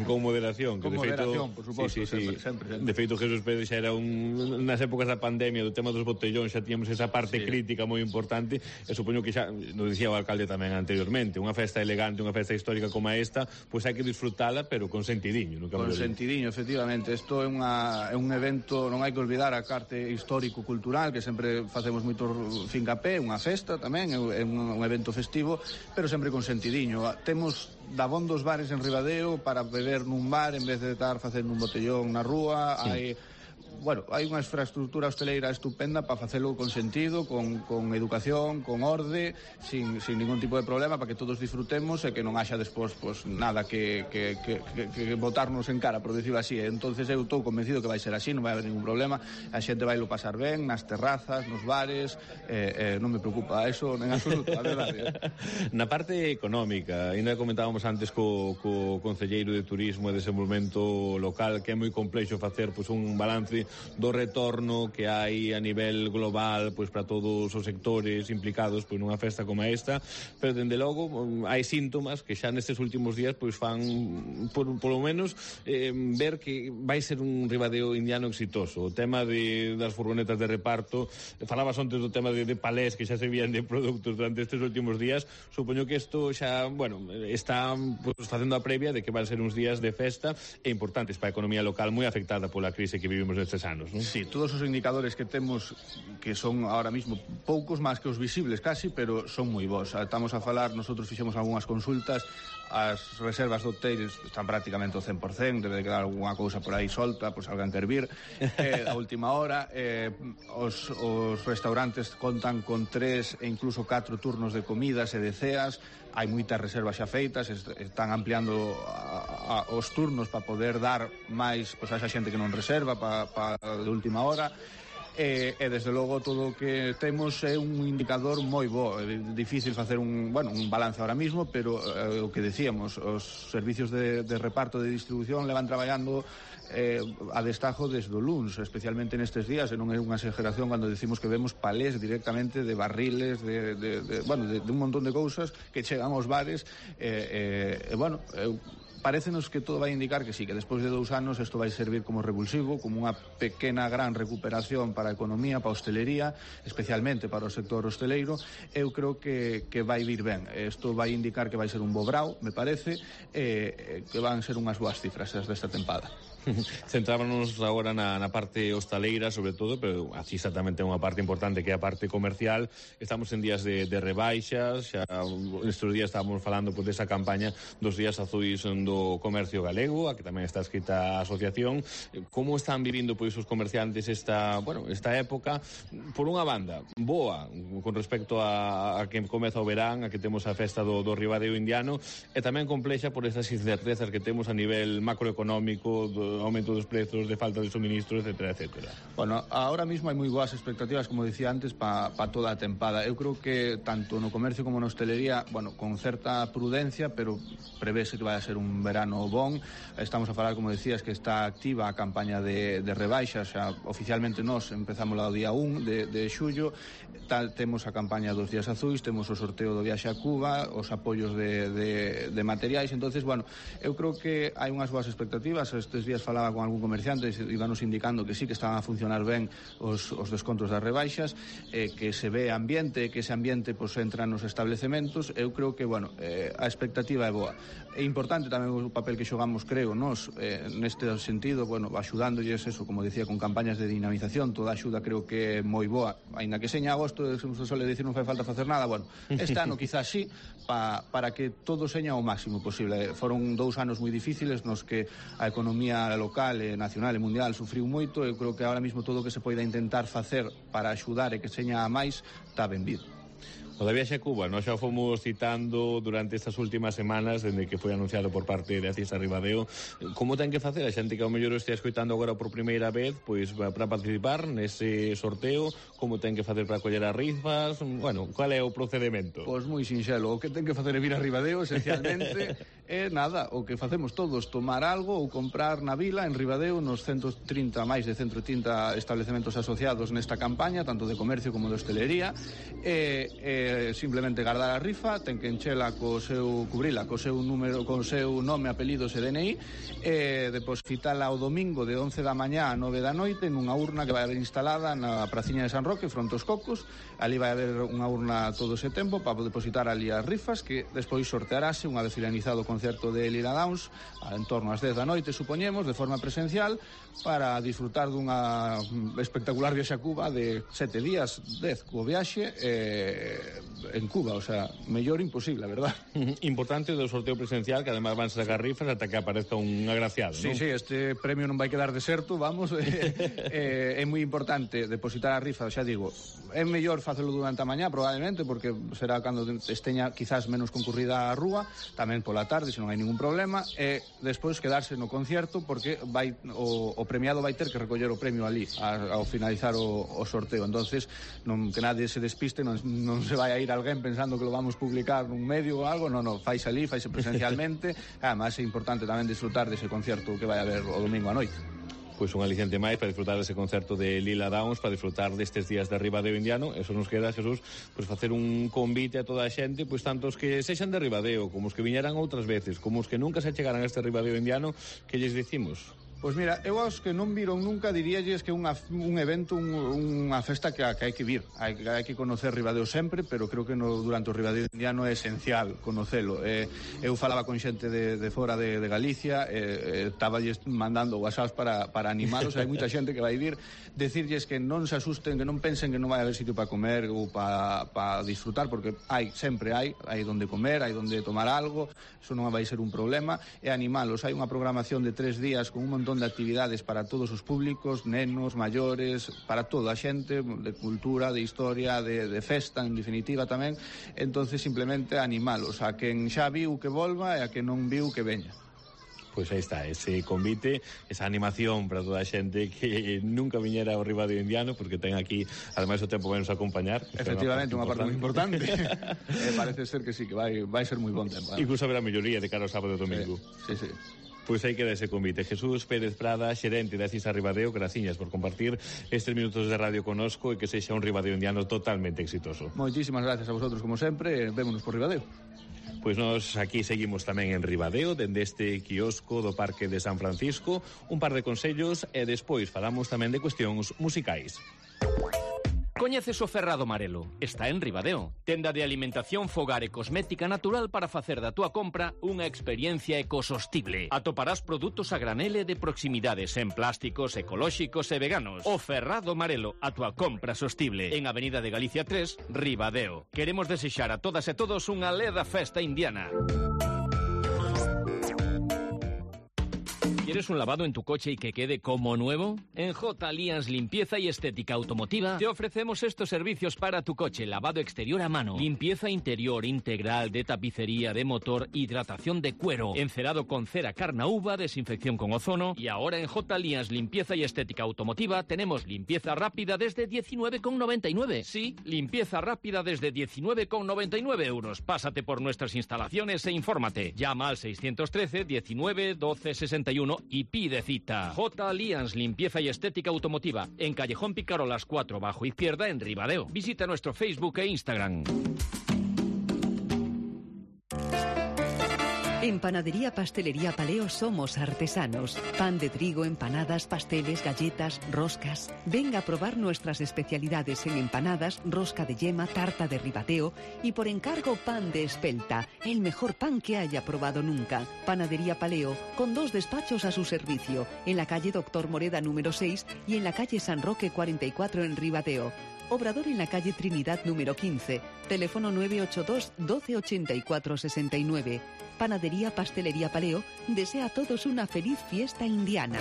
Con moderación, que con de feito, moderación, por suposto, sempre. De feito, Jesús Pérez xa era nas épocas da pandemia, do tema dos botellóns, xa tíamos esa parte crítica moi importante, e supoño que xa, nos dicía o alcalde tamén anteriormente, unha festa elegante, unha festa histórica como esta, pois hai que disfrutala, pero con sentidiño. Con sentidiño, efectivamente. Isto é un evento, non hai que olvidar a parte histórico-cultural, que sempre facemos moito fincapé, unha festa tamén, é un evento festivo, pero sempre con sentidiño. Temos dabondos bares en Ribadeo para beber nun bar en vez de estar facendo un botellón na rúa. Hai unha infraestructura hosteleira estupenda para facelo con sentido, con educación, con orde, sin ningún tipo de problema, para que todos disfrutemos e que non haxa despois nada que botarnos en cara, por decirlo así. Entonces eu estou convencido que vai ser así, non vai haber ningún problema, a xente vai lo pasar ben nas terrazas, nos bares, non me preocupa eso en absoluto, a verdade. Na parte económica, ainda comentábamos antes co concelleiro de Turismo e Desenvolvemento Local, que é moi complexo facer un balance do retorno que hai a nivel global para todos os sectores implicados nunha festa como esta, pero dende logo hai síntomas que xa nestes últimos días fan polo menos ver que vai ser un Ribadeo indiano exitoso. O tema das furgonetas de reparto, falabas antes do tema de palés que xa se vían de produtos durante estes últimos días, supoño que isto xa, está facendo a previa de que van ser uns días de festa e importantes para a economía local, moi afectada pola crise que vivimos nestes anos, non? Sí, todos os indicadores que temos, que son ahora mismo poucos máis que os visibles casi, pero son moi bons. Estamos a falar, nosotros fixemos algunhas consultas, as reservas do hotel están prácticamente ao 100%, debe de quedar alguna cousa por aí solta, pois alguén quer vir a última hora. Os restaurantes contan con 3 e incluso 4 turnos de comidas e de ceas. Hai moitas reservas xa feitas, están ampliando os turnos para poder dar máis a esa xente que non reserva para de última hora. E desde logo todo o que temos é un indicador moi bo. É difícil facer un balance ahora mismo, pero o que decíamos, os servicios de reparto de distribución levan traballando a destajo desde o luns, especialmente nestes días, e non é unha exageración cando decimos que vemos palés directamente de barriles de un montón de cousas que chegan aos bares. Parécenos que todo vai indicar que sí, que despois de 2 anos isto vai servir como revulsivo, como unha pequena gran recuperación para a economía, para a hostelería, especialmente para o sector hosteleiro. Eu creo que vai vir ben. Isto vai indicar que vai ser un bo brao, me parece, que van ser unhas boas cifras desta tempada. Centrámonos agora na parte hostaleira, sobre todo, pero a CISA tamén ten unha parte importante que é a parte comercial. Estamos en días de rebaixas, xa estes días estábamos falando desa campaña dos días azuis do comercio galego, a que tamén está escrita a asociación. Como están vivindo os comerciantes esta época? Por unha banda, boa con respecto a que comeza o verán, a que temos a festa do Ribadeo indiano, e tamén complexa por esas incertezas que temos a nivel macroeconómico aumento dos prezos, de falta de suministros, etcétera, etcétera. Bueno, ahora mismo hai moi boas expectativas, como dicía antes, para toda a tempada. Eu creo que tanto no comercio como na hostelería, bueno, con certa prudencia, pero prevese que vai a ser un verano bon. Estamos a falar, como decías, que está activa a campaña de rebaixas, xa oficialmente nós empezamos o día 1 de xullo, temos a campaña dos días azuis, temos o sorteo do viaxe a Cuba, os apoios de materiais. Entonces, bueno, eu creo que hai unhas boas expectativas. Estes días falaba con algún comerciante e íbanos indicando que sí, que estaban a funcionar ben os descontos das rebaixas, que se ve ambiente, que ese ambiente pues, entra nos establecementos. Eu creo que, bueno, a expectativa é boa. É importante tamén o papel que xogamos, creo, nós, neste sentido, bueno, axudándolles eso, como decía, con campañas de dinamización. Toda a axuda creo que é moi boa, aínda que seña agosto, se suele dicir non fai falta facer nada, bueno, este ano quizás sí, para que todo seña o máximo posible. Foron 2 anos moi difíciles nos que a economía local, nacional e mundial sufriu moito. Eu creo que ahora mismo todo o que se poida intentar facer para axudar e que seña a máis está benvido. O da viaxe a Cuba, nós xa fomos citando durante estas últimas semanas, dende que foi anunciado por parte de Acisa Ribadeo, como ten que facer a xente que ao mellor estea escoitando agora por primeira vez, pois para participar nese sorteo, como ten que facer para coller as rifas, bueno, cual é o procedimento? Pois moi sinxelo, o que ten que facer é vir a Ribadeo, esencialmente, é nada, o que facemos todos, tomar algo ou comprar na vila, en Ribadeo, nos 130, máis de 130 establecementos asociados nesta campaña, tanto de comercio como de hostelería, simplemente guardar a rifa, ten que enchela cubrila co seu número, con seu nome, apelidos e DNI, depositala o domingo de 11 da mañá a 9 da noite nunha urna que vai haber instalada na praciña de San Roque, fronte aos Cocos. Ali vai haber unha urna todo ese tempo para depositar ali as rifas, que despois sortearase unha vez finalizado o concerto de Lila Downs, en torno ás 10 da noite, supoñemos, de forma presencial, para disfrutar dunha espectacular viaxe a Cuba de 7 días, 10 co viaxe, en Cuba, o sea, mellor imposible, a verdad. Importante do sorteo presencial, que además van sacar rifas ata que aparezca un agraciado, sí, non? Sí, este premio non vai quedar deserto, vamos. É moi importante depositar a rifa, xa digo, é mellor facelo durante a mañá, probablemente, porque será cando esteña quizás menos concurrida a rúa, tamén pola tarde, se non hai ningún problema, e despois quedarse no concierto, porque vai o premiado vai ter que recoller o premio ali ao finalizar o sorteo. Entonces, que nadie se despiste, non se vai a ir alguén pensando que lo vamos publicar nun medio ou algo, non, faise ali, faise presencialmente. Además é importante tamén disfrutar dese concerto que vai haber o domingo a noite. Pois un aliciente máis para disfrutar dese concerto de Lila Downs, para disfrutar destes días de Ribadeo Indiano. Eso nos queda, Jesús, pois facer un convite a toda a xente, pois tantos que sexan de Ribadeo, como os que viñeran outras veces, como os que nunca se chegaran a este Ribadeo Indiano, que lles dicimos? Pois mira, eu aos que non viron nunca diríalles que un evento, unha festa que hai que vir, hai que conocer Ribadeo sempre, pero creo que durante o Ribadeo Indiano é esencial conocelo. Eu falaba con xente de fora de Galicia, estáballes mandando whatsapps para animalos, hai moita xente que vai vir, decirlles que non se asusten, que non pensen que non vai haber sitio para comer ou para disfrutar, porque sempre hai donde comer, hai donde tomar algo, eso non vai ser un problema, e animalos. Hai unha programación de 3 días con un montón de actividades para todos os públicos, nenos, maiores, para toda a xente, de cultura, de historia, de festa, en definitiva tamén. Entonces simplemente animalos a quen xa viu que volva e a quen non viu que veña. Pois aí está, ese convite, esa animación para toda a xente que nunca viñera ao Ribadeo Indiano, porque ten aquí, ademais o tempo vai nos acompañar. Efectivamente, unha parte moi importante. Parece ser que sí, que vai ser moi bon tempo. Incluso haberá melloría de cara ao sábado e domingo. Sí, sí. Pois aí queda ese convite. Jesús Pérez Prada, xerente de Acisa Ribadeo, graciñas por compartir estes minutos de radio conosco e que sexa un Ribadeo Indiano totalmente exitoso. Moitísimas gracias a vosotros, como sempre, vémonos por Ribadeo. Pois nós aquí seguimos tamén en Ribadeo, dende este quiosco do Parque de San Francisco, un par de consellos e despois falamos tamén de cuestións musicais. Coñeces o Ferrado Marelo? Está en Ribadeo. Tenda de alimentación, fogar e cosmética natural para facer da túa compra unha experiencia ecosostible. Atoparás produtos a granel e de proximidades en plásticos, ecolóxicos e veganos. O Ferrado Marelo, a túa compra sostible. En Avenida de Galicia 3, Ribadeo. Queremos desexar a todas e todos unha leda festa indiana. ¿Quieres un lavado en tu coche y que quede como nuevo? En J. Alliance Limpieza y Estética Automotiva te ofrecemos estos servicios para tu coche: lavado exterior a mano, limpieza interior integral de tapicería, de motor, hidratación de cuero, encerado con cera Carnauba, desinfección con ozono. Y ahora en J. Alliance Limpieza y Estética Automotiva tenemos limpieza rápida desde 19,99. Sí, limpieza rápida desde 19,99 euros. Pásate por nuestras instalaciones e infórmate. Llama al 613 19 12 61 y pide cita. J. Alliance Limpieza y Estética Automotiva, en Callejón Picarolas 4 bajo izquierda en Ribadeo. Visita nuestro Facebook e Instagram. En Panadería Pastelería Paleo somos artesanos. Pan de trigo, empanadas, pasteles, galletas, roscas. Venga a probar nuestras especialidades en empanadas, rosca de yema, tarta de Ribadeo y por encargo pan de espelta, el mejor pan que haya probado nunca. Panadería Paleo, con 2 despachos a su servicio, en la calle Doctor Moreda número 6 y en la calle San Roque 44 en Ribadeo. Obrador en la calle Trinidad número 15, teléfono 982 12 84 69. Panadería Pastelería Paleo desea a todos una feliz fiesta indiana.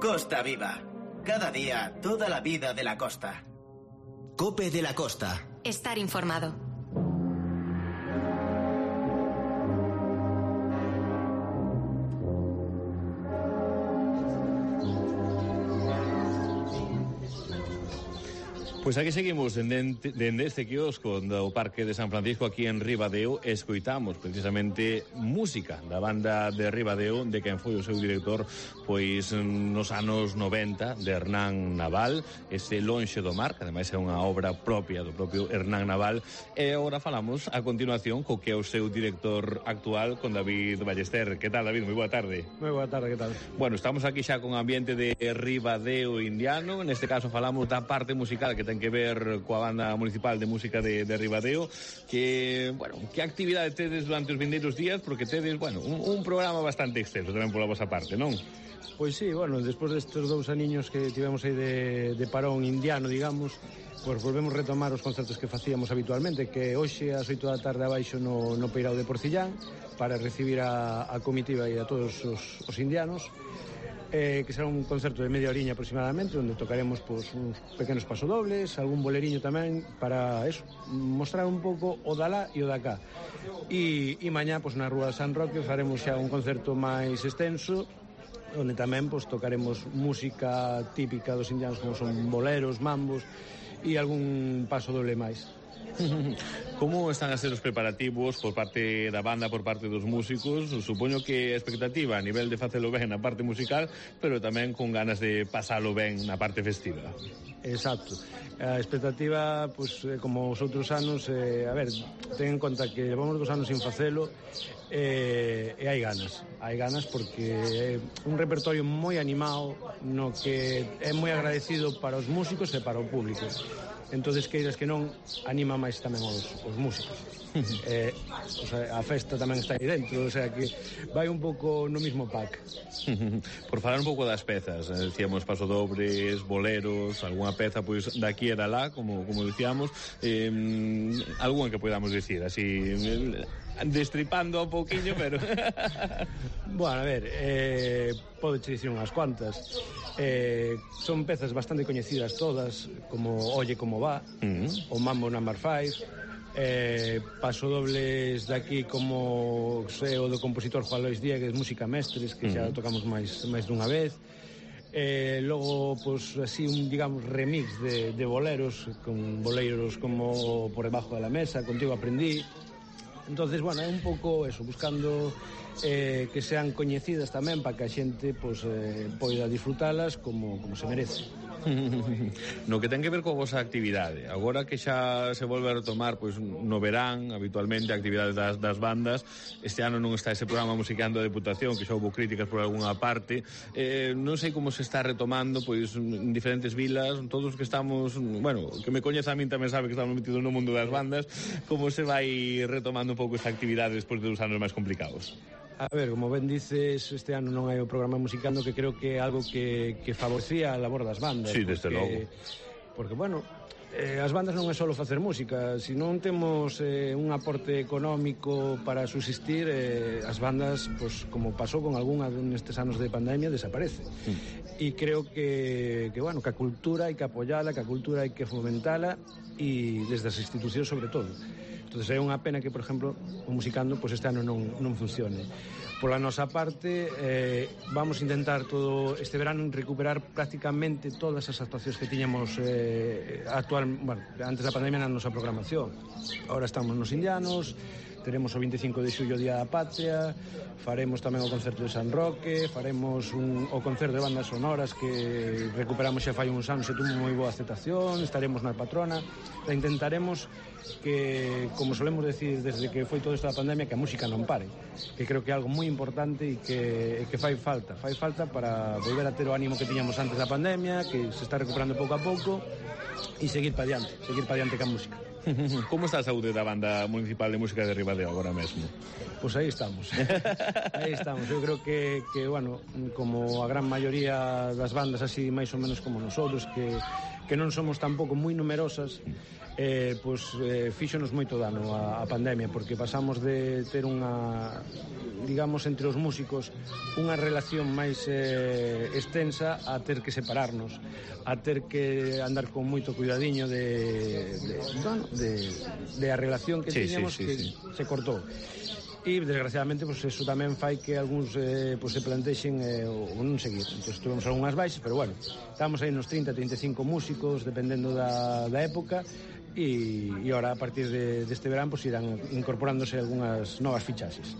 Costa Viva. Cada día, toda la vida de la costa. Cope de la Costa. Estar informado. Pois aquí seguimos dende este quiosco do Parque de San Francisco aquí en Ribadeo. Escoitamos precisamente música da banda de Ribadeo, de quen foi o seu director pois nos anos 90, de Hernán Naval, ese Lonxe do Mar, que ademais é unha obra propia do propio Hernán Naval. E agora falamos a continuación co que é o seu director actual, con David Ballester. Que tal, David? Moi boa tarde. Moi boa tarde, que tal? Bueno, estamos aquí xa con ambiente de Ribadeo indiano. Neste caso falamos da parte musical que ten que ver coa banda municipal de música de Ribadeo. Que, bueno, que actividade tedes durante os vindeiros días? Porque tedes, bueno, un programa bastante extenso tamén pola vosa parte, non? Pois sí, bueno, despois destes 2 aniños que tivemos aí de parón indiano, digamos, pois volvemos retomar os concertos que facíamos habitualmente, que hoxe ás 8 da tarde abaixo no Peirao de Porcillán, para recibir a comitiva e a todos os indianos, que será un concerto de media horiña aproximadamente, onde tocaremos pois, uns pequenos pasodobles, algún boleriño tamén, para eso, mostrar un pouco o da lá e o da cá. E mañá, pois, na Rúa de San Roque faremos xa un concerto máis extenso, onde tamén pois, tocaremos música típica dos indianos, como son boleros, mambos e algún pasodoble máis. Como están a ser os preparativos por parte da banda, por parte dos músicos? Supoño que a expectativa a nivel de facelo ben na parte musical, pero tamén con ganas de pasalo ben na parte festiva. Exacto. A expectativa, pois, como os outros anos, a ver, ten en conta que levamos 2 anos sin facelo, e hai ganas porque é un repertorio moi animado, no que é moi agradecido para os músicos e para o público. Entonces, queiras que non, anima máis tamén os músicos. O sea, a festa tamén está aí dentro, o sea que vai un pouco no mismo pack. Por falar un pouco das pezas, decíamos pasodobles, boleros, algunha peza pois daqui e da lá, como dicíamos, algunha que podamos dicir así, destripando un pouquiño, pero bueno, a ver, podeche dicir unhas cuantas. Son pezas bastante coñecidas todas, como Oye como va, o Mambo No. 5, pasodobles daqui como o do compositor Juan Lois Diegues, Música Mestres, que xa tocamos máis dunha vez. Logo, pois, así, digamos, remix de boleros, con boleiros como Por debajo de la mesa, Contigo aprendí. Entonces, bueno, é un pouco eso, buscando que sean coñecidas tamén para que a xente poida disfrutalas como se merece. No que ten que ver coa vosa actividade, agora que xa se volve a retomar pois no verán, habitualmente, a actividade das bandas, este ano non está ese programa Musicando a Deputación, que xa houve críticas por algunha parte, non sei como se está retomando pois en diferentes vilas, todos que estamos, bueno, que me coñeza a min tamén sabe que estamos metidos no mundo das bandas, como se vai retomando un pouco esta actividade despois de 2 anos máis complicados? A ver, como ben dices, este ano non hai o programa Musicando, que creo que é algo que favorecía a labor das bandas. Sí, desde logo. Porque, bueno, as bandas non é só facer música, se non temos un aporte económico para subsistir, as bandas, pues, como pasou con algunha nestes anos de pandemia, desaparece. E creo que bueno, que a cultura hai que apoiala, que a cultura hai que fomentala, e desde as institucións sobre todo. Entonces é unha pena que, por exemplo, o Musicando pues este ano non funcione. Pola nosa parte, vamos a intentar todo este verano recuperar prácticamente todas as actuacións que tiñamos antes da pandemia na nosa programación. Ahora estamos nos Indianos, teremos o 25 de xullo Día da Patria, faremos tamén o concerto de San Roque, faremos o concerto de bandas sonoras que recuperamos xa fai uns anos e tuvo moi boa aceptación, estaremos na Patrona, e intentaremos que, como solemos decir desde que foi todo isto da pandemia, que a música non pare, que creo que é algo moi importante e que fai falta para volver a ter o ánimo que tiñamos antes da pandemia, que se está recuperando pouco a pouco, e seguir para diante ca música. Como está a saúde da Banda Municipal de Música de Ribadeo agora mesmo? Pois aí estamos. Eu creo que, bueno, como a gran maioría das bandas así máis ou menos como nosotros, que non somos tampouco moi numerosas, fíxonos moito dano a pandemia, porque pasamos de ter unha, digamos, entre os músicos unha relación máis extensa a ter que separarnos, a ter que andar con moito cuidadiño de a relación que tiñamos, que se cortou. E desgraciadamente pues, eso tamén fai que algúns se plantexen o non seguir. Entón tuvemos algunhas baixas, pero bueno, estamos aí nos 30-35 músicos dependendo da época, e ahora a partir deste verán pues, irán incorporándose algunhas novas fichaxes.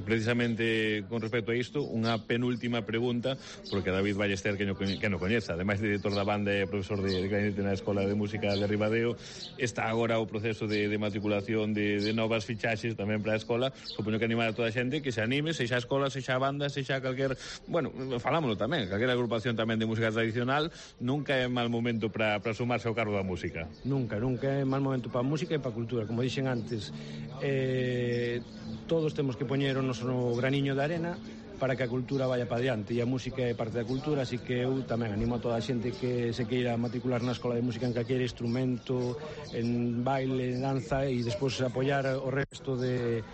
Precisamente con respecto a isto, unha penúltima pregunta, porque David Ballester, que no coñeza, ademais de director da banda e profesor de clarinete na Escola de Música de Ribadeo, está agora o proceso de matriculación de novas fichaxes tamén para a escola. Supoño que animar a toda a xente que se anime, sexa a escola, sexa a banda, sexa calquer, bueno, falámoslo tamén, calquer agrupación tamén de música tradicional, nunca é mal momento para sumarse ao cargo da música. Nunca é mal momento para a música e para a cultura. Como dixen antes, todos temos que poñer o noso graniño de arena para que a cultura vaya para diante, e a música é parte da cultura, así que eu tamén animo a toda a xente que se queira matricular na Escola de Música en calquer instrumento, en baile, en danza, e despois apoiar o resto de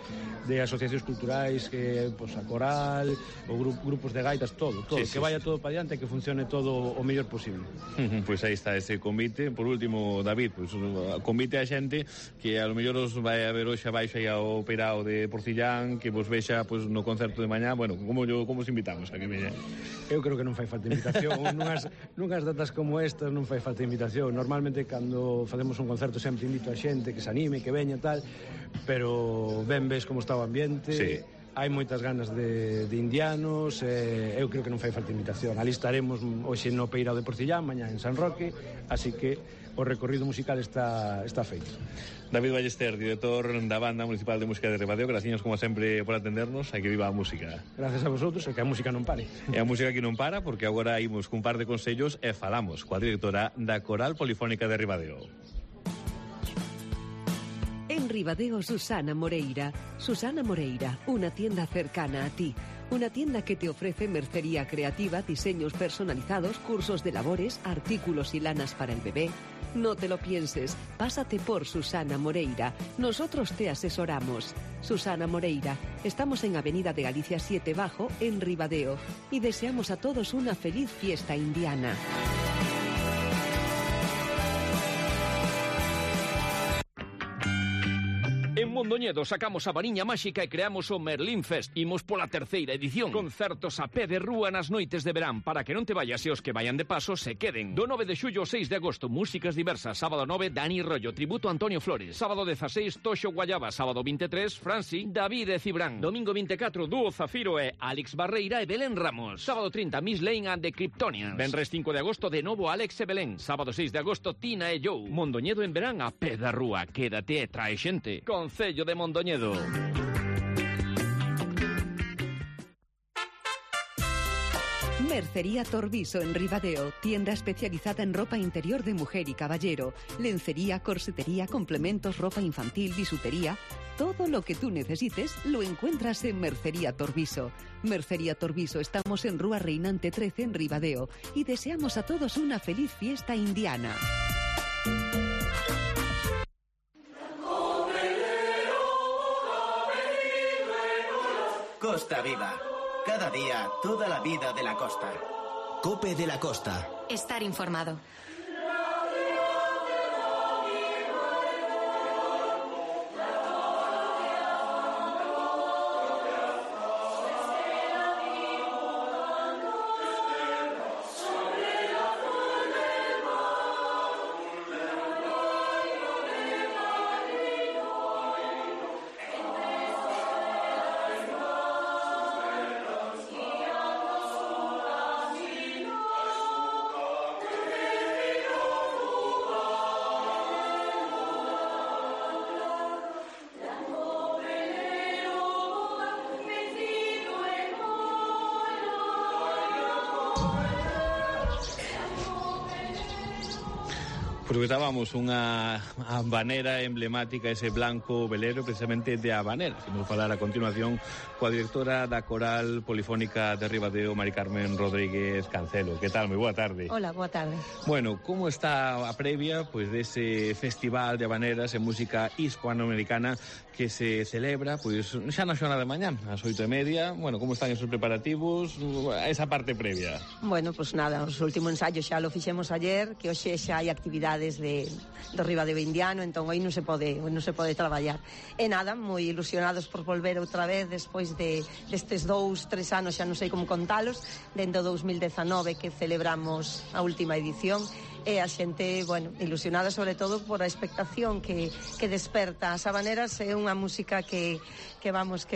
asociacións culturais, que pues, a coral, o grupos de gaitas, todo, que vaya todo para diante e que funcione todo o mellor posible. Pois aí está ese convite. Por último, David, convite a xente que a lo mellor os vai a ver hoxe abaixo aí ao Peirao de Porcillán, que vos vexa no concerto de mañá, bueno, como os invitamos a que veñan? Eu creo que non fai falta invitación. nunhas datas como estas non fai falta invitación. Normalmente, cando facemos un concerto, sempre invito a xente que se anime, que veña, tal, pero ben ves como está o ambiente. Sí. Hai moitas ganas de indianos, eu creo que non fai falta invitación. Ali estaremos hoxe no Peirao de Porcillán, mañá en San Roque, así que o recorrido musical está feito. David Ballester, director da Banda Municipal de Música de Ribadeo, graciñas como sempre por atendernos, e que viva a música. Gracias a vosotros, e que a música non pare. E a música que non para, porque agora imos cun par de consellos e falamos coa directora da Coral Polifónica de Ribadeo. En Ribadeo, Susana Moreira. Susana Moreira, una tienda cercana a ti. Una tienda que te ofrece mercería creativa, diseños personalizados, cursos de labores, artículos y lanas para el bebé. No te lo pienses, pásate por Susana Moreira. Nosotros te asesoramos. Susana Moreira, estamos en Avenida de Galicia 7 Bajo, en Ribadeo, y deseamos a todos una feliz fiesta indiana. En Mondoñedo Mondoñedo sacamos a variña máxica e creamos o Merlín Fest. Imos pola terceira edición. Concertos a pé de rúa nas noites de verán para que non te vayas e os que vayan de paso se queden. Do 9 de xullo ao 6 de agosto, músicas diversas. Sábado 9, Dani Rollo, tributo a Antonio Flores. Sábado 16, Toxo Guayaba. Sábado 23, Franci, David e Cibrán. Domingo 24, Dúo Zafiro e Alex Barreira e Belén Ramos. Sábado 30, Miss Lane and the Kryptonians. Venres 5 de agosto, de novo Alex e Belén. Sábado 6 de agosto, Tina e Joe. Mondoñedo en verán a pé da rúa. Quédate e trae xente. Concello de Mondoñedo. Mercería Torviso en Ribadeo, tienda especializada en ropa interior de mujer y caballero, lencería, corsetería, complementos, ropa infantil, bisutería. Todo lo que tú necesites lo encuentras en Mercería Torviso. Mercería Torviso, estamos en Rúa Reinante 13 en Ribadeo y deseamos a todos una feliz fiesta indiana. Costa Viva. Cada día, toda la vida de la costa. Cope de la Costa. Estar informado. Escoitábamos unha habanera emblemática, ese blanco velero, precisamente de habanera. Vamos falar a continuación coa directora da Coral Polifónica de Ribadeo, Mari Carmen Rodríguez Cancelo. Que tal? Moi boa tarde. Hola, boa tarde. Bueno, como está a previa pois dese festival de habaneras e música hispanoamericana que se celebra pois xa na xornada de mañá, ás 8:30? Bueno, como están esos preparativos, esa parte previa? Bueno, pois nada, os últimos ensayos xa lo fixemos ayer, que hoxe xa hai actividades do Ribadeo Indiano, entón aí non se pode traballar. E nada, moi ilusionados por volver outra vez despois destes 2-3 anos, xa non sei como contalos, dentro do 2019 que celebramos a última edición. E a xente, bueno, ilusionada sobre todo por a expectación que desperta. As habaneras é unha música que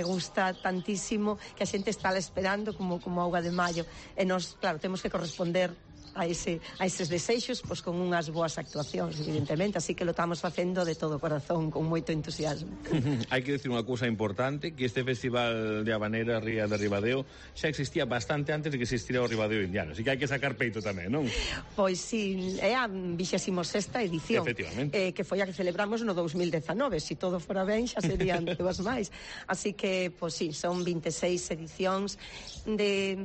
gusta tantísimo, que a xente está esperando como auga de maio. E nós, claro, temos que corresponder a eses desexos, pois con unhas boas actuacións, evidentemente, así que lo estamos facendo de todo corazón, con moito entusiasmo. Hai que decir unha cousa importante, que este festival de habanera Ría de Ribadeo xa existía bastante antes de que existira o Ribadeo Indiano, así que hai que sacar peito tamén, non? Pois sí, é a 26ª edición, que foi a que celebramos no 2019, se todo fora ben xa serían dúas máis, así que, pois sí, son 26 edicións de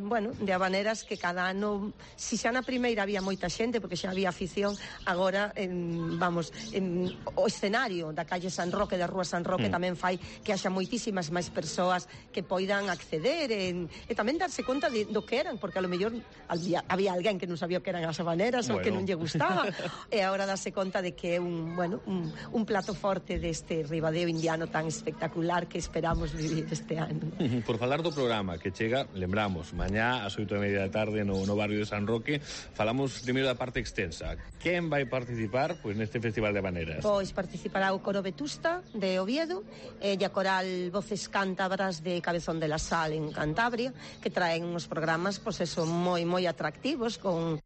habaneras que cada ano, si xa na primeira había moita xente, porque xa había afición, agora, o escenario da calle San Roque, da Rúa San Roque, tamén fai que haxa moitísimas máis persoas que poidan acceder e tamén darse conta do que eran, porque a lo mellor había alguén que non sabía que eran as habaneras ou que non lle gustaba, e agora darse conta de que é un plato forte deste Ribadeo Indiano tan espectacular que esperamos vivir este ano. Por falar do programa que chega, lembramos, mañá ás 8:30 da tarde no barrio de San Roque. Falamos primeiro da parte extensa. Quen vai participar neste Festival de Habaneras? Pois participará o Coro Vetusta de Oviedo e a Coral Voces Cántabras de Cabezón de la Sal en Cantabria, que traen uns programas moi atractivos, con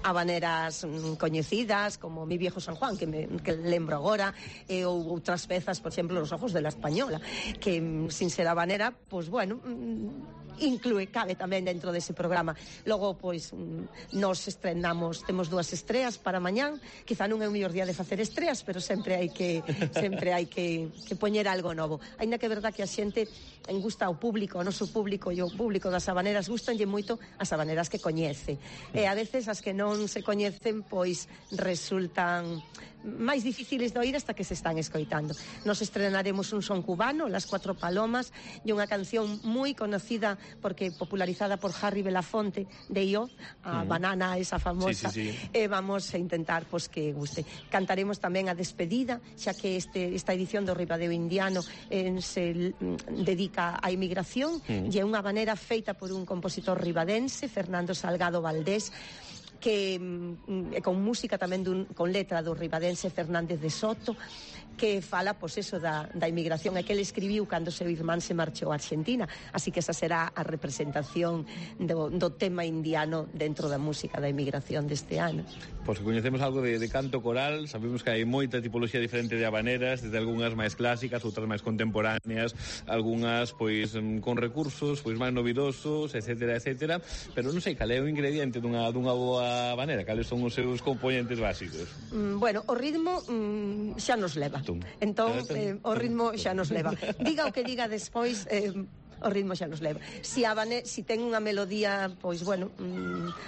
habaneras coñecidas como Mi Viejo San Juan, que lembro agora, ou outras pezas, por exemplo, Los Ojos de la Española, que sin ser habanera, pois bueno, cabe tamén dentro dese programa. Logo, pois, nos estrenamos, temos 2 estreas para mañán, quizá non é o mellor día de facer estreas, pero sempre hai que poñer algo novo. Ainda que é verdad que a xente gusta ao público, o noso público e o público das habaneras gustanlle moito as habaneras que coñece. E a veces as que non se coñecen, pois resultan máis difíciles de oír hasta que se están escoitando. Nos estrenaremos un son cubano, Las Cuatro Palomas, e unha canción moi conocida porque popularizada por Harry Belafonte de IO, a banana esa famosa. Vamos a intentar que guste. Cantaremos tamén a despedida, xa que esta edición do Ribadeo Indiano se dedica á inmigración e é unha habanera feita por un compositor ribadense, Fernando Salgado Valdés, que con música tamén con letra do ribadense Fernández de Soto, que fala, eso, da inmigración, e que ele escribiu cando seu irmán se marchou a Argentina, así que esa será a representación do tema indiano dentro da música da inmigración deste ano. Pois coñecemos algo de canto coral, sabemos que hai moita tipoloxía diferente de habaneras, desde algunhas máis clásicas, outras máis contemporáneas, algunhas, con recursos, máis novidosos, etcétera, etcétera, pero non sei cal é o ingrediente dunha boa habanera, cales son os seus componentes básicos. Bueno, o ritmo xa nos leva. Entón, o ritmo xa nos leva. Diga o que diga despois, o ritmo xa nos leva. Si ten unha melodía,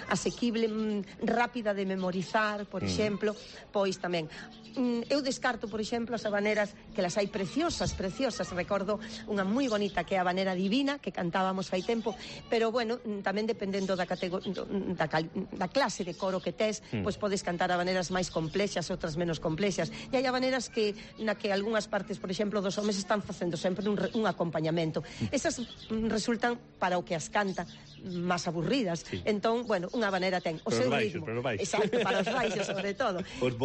asequible, rápida de memorizar, por exemplo, pois tamén. Eu descarto, por exemplo, as habaneras que las hai preciosas. Recordo unha moi bonita que é a Habanera Divina, que cantábamos fai tempo, pero tamén dependendo da clase de coro que tes, pois podes cantar habaneras máis complexas, outras menos complexas. E hai habaneras na que algunhas partes, por exemplo, dos homes están facendo sempre un acompañamento. Esas resultan, para o que as canta, máis aburridas. Entón, unha habanera ten o seu ritmo. Exacto, para os baixos, sobre todo. Os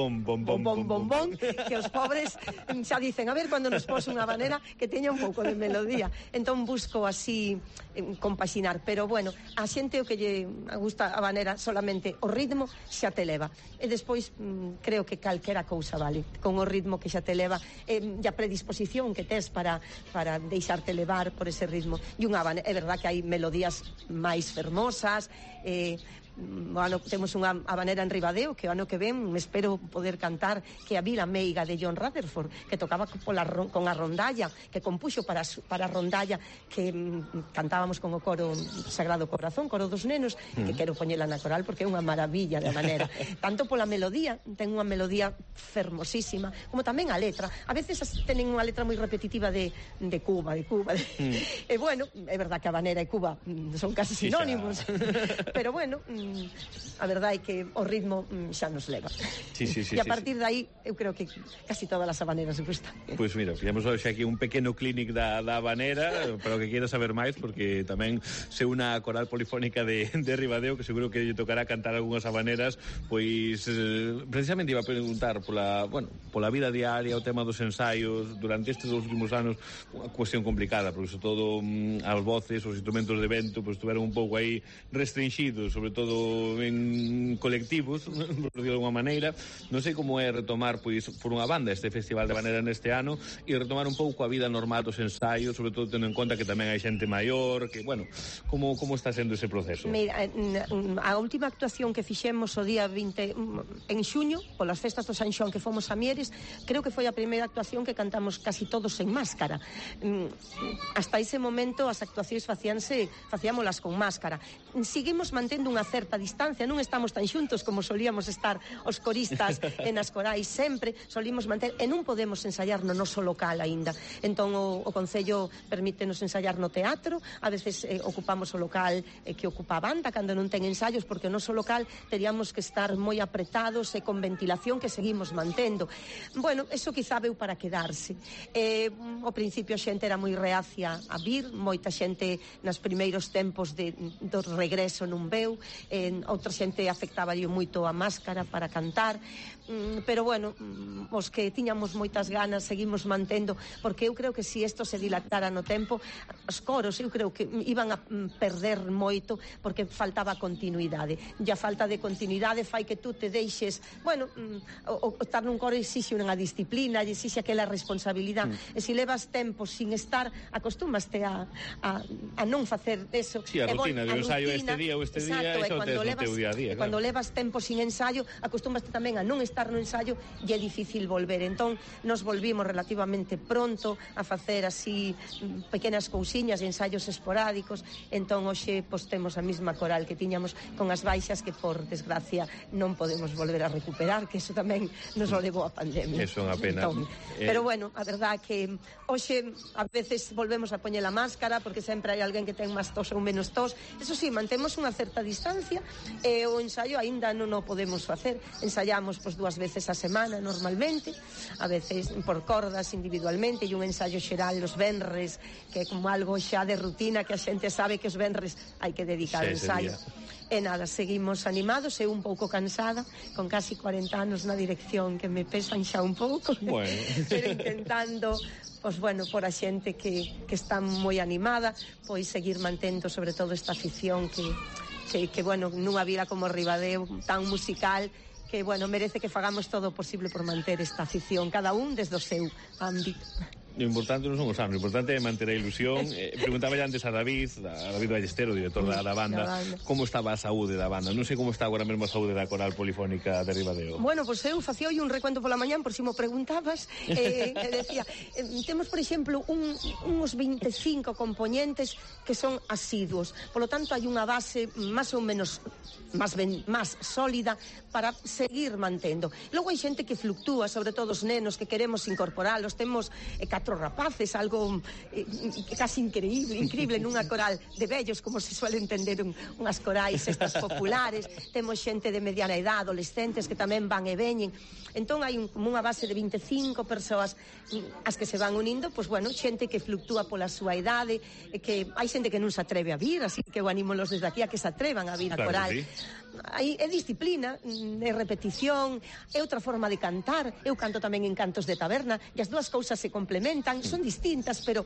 bom, que os pobres xa dicen, a ver, cando nos pos unha habanera que teña un pouco de melodía. Entón busco así compaxinar, pero a xente o que lle gusta a habanera solamente o ritmo xa te leva. E despois creo que calquera cousa vale, con o ritmo que xa te leva e a predisposición que tes para deixarte levar por ese ritmo. E unha habanera, é verdad que hai melodías máis fermosas, temos unha habanera en Ribadeo que o ano que ven me espero poder cantar, que é a Vila Meiga de John Rutherford, que tocaba con a rondalla, que compuxo para a rondalla, que cantábamos con o coro Sagrado Corazón, coro dos nenos, que quero poñela na coral porque é unha maravilla de habanera. Tanto pola melodía, ten unha melodía fermosísima, como tamén a letra. A veces tenen unha letra moi repetitiva de Cuba. E é verdad que a habanera e Cuba son casi sinónimos, pero a verdade é que o ritmo xa nos leva. E a partir de aí, eu creo que casi todas as habaneras gustan. Pois mira, fixemos hoxe aquí un pequeno clínic da habanera, para o que queira saber máis, porque tamén se unha coral polifónica de Ribadeo, que seguro que lle tocará cantar algunhas habaneras, pois precisamente iba a preguntar pola vida diaria, o tema dos ensaios, durante estes últimos anos, unha cuestión complicada, porque sobre todo as voces, os instrumentos de vento, pois estuveron un pouco aí restringidos, sobre todo en colectivos, por de alguma maneira. Non sei como é retomar por unha banda este Festival de Habanera neste ano e retomar un pouco a vida normal dos ensaios, sobre todo tendo en conta que tamén hai xente maior, que, como está sendo ese proceso? Mira, a última actuación que fixemos o día 20 en xuño, polas festas do San Xoán que fomos a Mieres, creo que foi a primeira actuación que cantamos casi todos en máscara. Hasta ese momento as actuacións facíamolas con máscara. Seguimos mantendo unha certa distancia, non estamos tan xuntos como solíamos estar os coristas e nas corais sempre, solimos manter, e non podemos ensaiar no noso local aínda. Entón o Concello permítenos ensaiar no teatro, a veces ocupamos o local que ocupa a banda cando non ten ensaios, porque o noso local teríamos que estar moi apretados e con ventilación que seguimos mantendo. Eso quizá veu para quedarse. Ao principio a xente era moi reacia a vir, moita xente nos primeiros tempos do regreso non veu, outra xente afectáballe moito a máscara para cantar, pero os que tiñamos moitas ganas seguimos mantendo, porque eu creo que se isto se dilatara no tempo, os coros eu creo que iban a perder moito, porque faltaba continuidade, e a falta de continuidade fai que tú te deixes, estar nun coro exixe unha disciplina, exixe aquela responsabilidade, e se levas tempo sin estar, acostúmaste a non facer eso. Si, a rutina de ensayo este día ou este día, cando levas tempo sin ensayo, acostúmbaste tamén a non estar no ensayo e é difícil volver. Entón, nos volvimos relativamente pronto a facer así pequenas cousiñas e ensaios esporádicos. Entón, hoxe, pois, temos a mesma coral que tiñamos con as baixas que, por desgracia, non podemos volver a recuperar, que eso tamén nos lo levou a pandemia. Eso é unha pena. Entón, pero bueno, a verdad que hoxe a veces volvemos a poñer a máscara porque sempre hai alguén que ten máis tos ou menos tos. Eso sí, mantemos unha certa distancia e o ensaio aínda non o podemos facer. Ensaiamos pois 2 veces a semana normalmente, a veces por cordas individualmente, e un ensaio xeral os venres, que é como algo xa de rutina que a xente sabe que os venres hai que dedicar ao ensaio. E nada, seguimos animados, eu un pouco cansada, con casi 40 anos na dirección que me pesan xa un pouco, bueno. Pero intentando, pois bueno, por a xente que está moi animada, pois seguir mantendo sobre todo esta afición que bueno, nunha vila como Ribadeo tan musical, que bueno, merece que fagamos todo o posible por manter esta afición, cada un desde o seu ámbito. O importante non son os anos, o importante é manter a ilusión. Preguntaba antes a David Ballestero, director da banda, como estaba a saúde da banda. Non sei como está agora mesmo a saúde da Coral Polifónica de Ribadeo. Bueno, pois eu facía hoy un recuento pola mañán, por si mo preguntabas, e decía, temos, por exemplo, uns 25 componentes que son asiduos. Polo tanto, hai unha base máis ou menos máis sólida para seguir mantendo. Logo hai xente que fluctúa, sobre todo os nenos que queremos incorporalos. Temos 4 rapaces, algo casi increíble nunha coral de vellos, como se suele entender unhas corais estas populares. Temos xente de mediana edad, adolescentes que tamén van e veñen. Entón hai como unha base de 25 persoas as que se van unindo, pois bueno, xente que fluctúa pola súa idade, que hai xente que non se atreve a vir, así que eu anímolos desde aquí a que se atrevan a vir a coral. É disciplina, é repetición, é outra forma de cantar. Eu canto tamén en cantos de taberna e as dúas cousas se complementan, son distintas, pero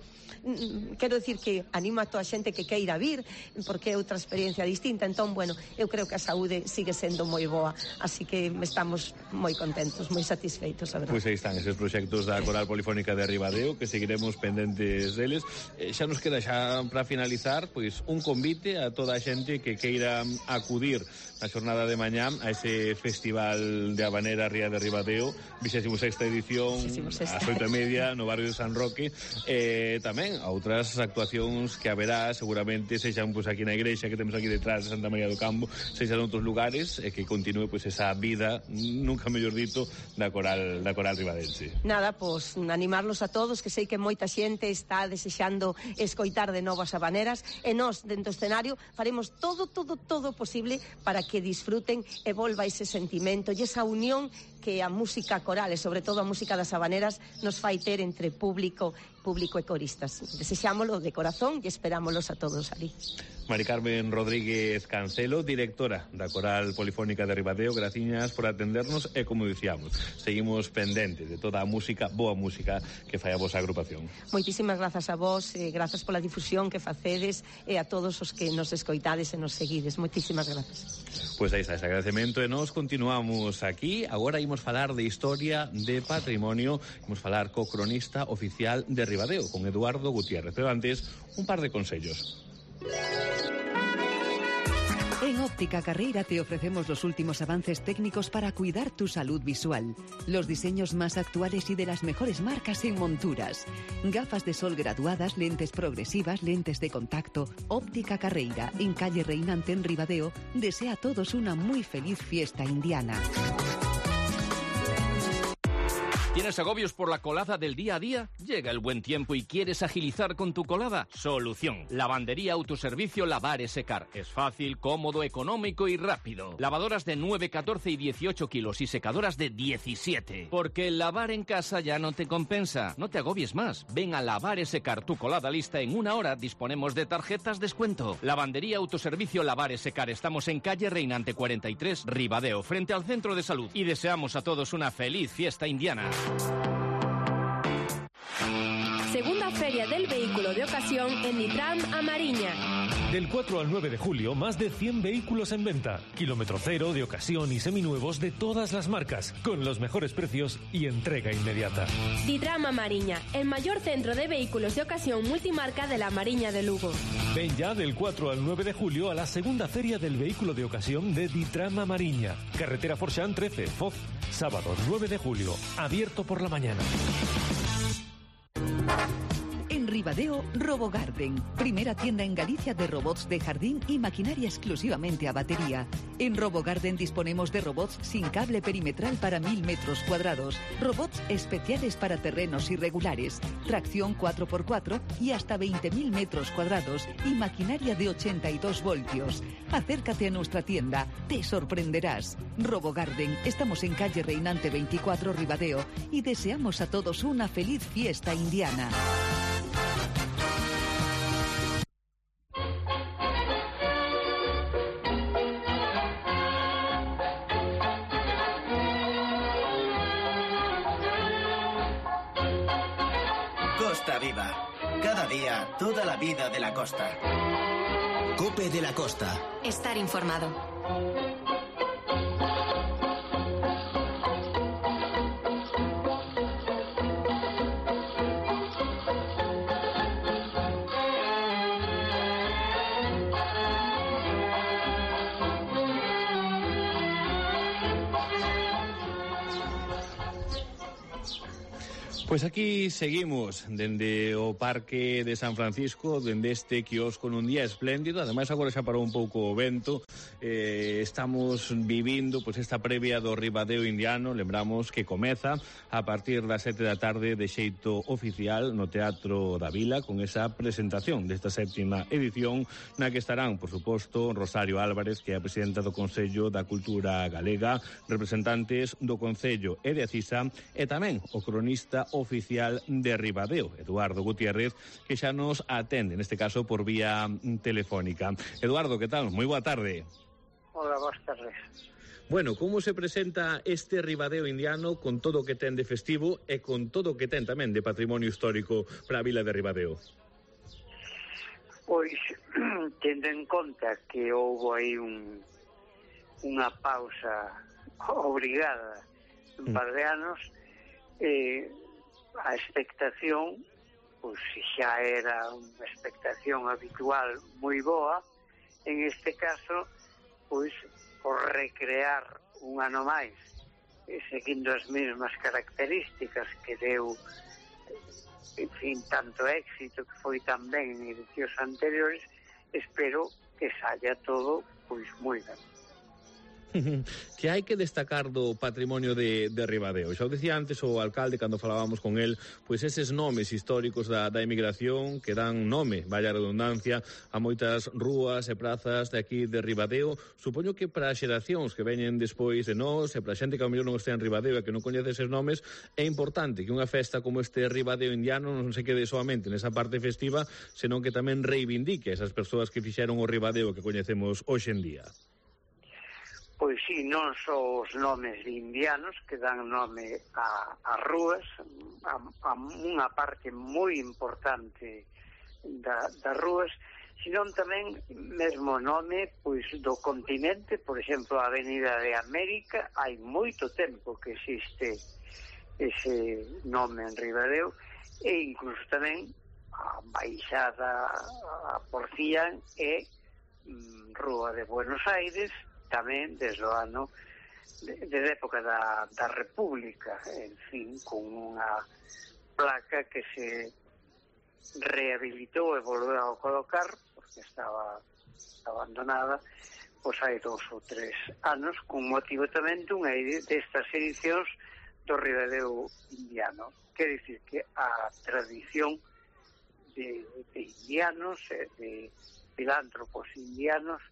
quero dicir que animo a toda a xente que queira vir, porque é outra experiencia distinta. Entón, bueno, eu creo que a saúde sigue sendo moi boa, así que estamos moi contentos, moi satisfeitos, a verdade. Pois aí están eses proxectos da Coral Polifónica de Ribadeo, que seguiremos pendentes deles. Xa nos queda xa para finalizar, pois un convite a toda a xente que queira acudir na xornada de mañá a ese Festival de Habanera Ría de Ribadeo, 26ª edición, ás 8:30 no barrio de San Roque. Tamén a outras actuacións que haberá, seguramente sexan pois aquí na igrexa que temos aquí detrás de Santa María do Campo, sexan outros lugares, e que continue pois esa vida, nunca mellor dito, da coral ribadense. Nada, pois animarlos a todos, que sei que moita xente está desexando escoitar de novo as habaneras, e nós, dentro do escenario, faremos todo posible para que disfruten e volva ese sentimento e esa unión que a música coral e sobre todo a música das habaneras nos fai ter entre público e coristas. Desexámolo de corazón e esperámolos a todos ali. Mari Carmen Rodríguez Cancelo, directora da Coral Polifónica de Ribadeo, graciñas por atendernos e, como dicíamos, seguimos pendentes de toda a música, boa música que fai a vosa agrupación. Moitísimas grazas a vos, grazas pola difusión que facedes e a todos os que nos escoitades e nos seguides. Moitísimas grazas. Pois aí está ese agradecemento e nos continuamos aquí. Agora imos falar de historia de patrimonio, imos falar co cronista oficial de Ribadeo, con Eduardo Gutiérrez. Pero antes, un par de consellos. En Óptica Carreira te ofrecemos los últimos avances técnicos para cuidar tu salud visual. Los diseños más actuales y de las mejores marcas en monturas. Gafas de sol graduadas, lentes progresivas, lentes de contacto. Óptica Carreira, en calle Reinante en Ribadeo, desea a todos una muy feliz fiesta indiana. ¿Tienes agobios por la colada del día a día? Llega el buen tiempo y quieres agilizar con tu colada. Solución. Lavandería Autoservicio Lavar y Secar. Es fácil, cómodo, económico y rápido. Lavadoras de 9, 14 y 18 kilos y secadoras de 17. Porque el lavar en casa ya no te compensa. No te agobies más. Ven a Lavar y Secar tu colada lista en 1 hora. Disponemos de tarjetas descuento. Lavandería Autoservicio Lavar y Secar. Estamos en calle Reinante 43, Ribadeo, frente al Centro de Salud. Y deseamos a todos una feliz fiesta indiana. Segunda Feria del Vehículo de ocasión ocasión en Ditram a Mariña. Del 4 al 9 de julio, más de 100 vehículos en venta. Kilómetro cero, de ocasión y seminuevos de todas las marcas, con los mejores precios y entrega inmediata. Ditram a Mariña, el mayor centro de vehículos de ocasión multimarca de la Mariña de Lugo. Ven ya del 4 al 9 de julio a la segunda feria del vehículo de ocasión de Ditram a Mariña. Carretera Forxán 13, Foz. Sábado 9 de julio, abierto por la mañana. En Ribadeo, RoboGarden, primera tienda en Galicia de robots de jardín y maquinaria exclusivamente a batería. En RoboGarden disponemos de robots sin cable perimetral para 1000 metros cuadrados, robots especiales para terrenos irregulares, tracción 4x4 y hasta 20.000 metros cuadrados y maquinaria de 82 voltios. Acércate a nuestra tienda, te sorprenderás. RoboGarden, estamos en calle Reinante 24 Ribadeo y deseamos a todos una feliz fiesta indiana. Costa Viva. Cada día, toda la vida de la costa. Cope de la Costa. Estar informado. Pois aquí seguimos dende o Parque de San Francisco, dende este quiosco nun día espléndido. Ademais agora xa parou un pouco o vento. Estamos vivindo pois esta previa do Ribadeo Indiano. Lembramos que comeza a partir das 7 da tarde de xeito oficial no Teatro da Vila, con esa presentación desta séptima edición, na que estarán, por suposto, Rosario Álvarez, que é a presidenta do Consello da Cultura Galega, representantes do Concello e de Acisa, e tamén o cronista oficial de Ribadeo, Eduardo Gutiérrez, que xa nos atende, neste caso por vía telefónica. Eduardo, que tal? Moi boa tarde. Hola, boas tardes. Bueno, como se presenta este Ribadeo Indiano con todo o que ten de festivo e con todo o que ten tamén de patrimonio histórico para a vila de Ribadeo? Pois, tendo en conta que houve aí unha pausa obrigada un par de anos, a expectación, pois xa era unha expectación habitual moi boa. En este caso, pois, por recrear un ano máis, seguindo as mesmas características que deu, en fin, tanto éxito que foi tamén en edicións anteriores, espero que saia todo, pois, moi ben. Que hai que destacar do patrimonio de Ribadeo? Xa o decía antes o alcalde cando falábamos con el, pois eses nomes históricos da emigración que dan nome, vaya redundancia, a moitas rúas e prazas de aquí de Ribadeo. Supoño que para as xeracións que veñen despois de nós e para a xente que ao mellor non está en Ribadeo e que non coñece eses nomes, é importante que unha festa como este Ribadeo Indiano non se quede solamente nesa parte festiva, senón que tamén reivindique esas persoas que fixeron o Ribadeo que coñecemos hoxe en día. Pois sí, non só os nomes de indianos que dan nome a rúas, a unha parte moi importante das rúas, senón tamén mesmo nome pois do continente. Por exemplo, a Avenida de América, hai moito tempo que existe ese nome en Ribadeo, e incluso tamén a Baixada a Porcián e Rúa de Buenos Aires, tamén desde o ano desde época da República, en fin, con unha placa que se rehabilitou e volveu a colocar porque estaba abandonada pois hai 2 ou 3 anos, con motivo tamén dunha destas edicións do Ribadeo Indiano. Quer dicir que a tradición de indianos e de filántropos indianos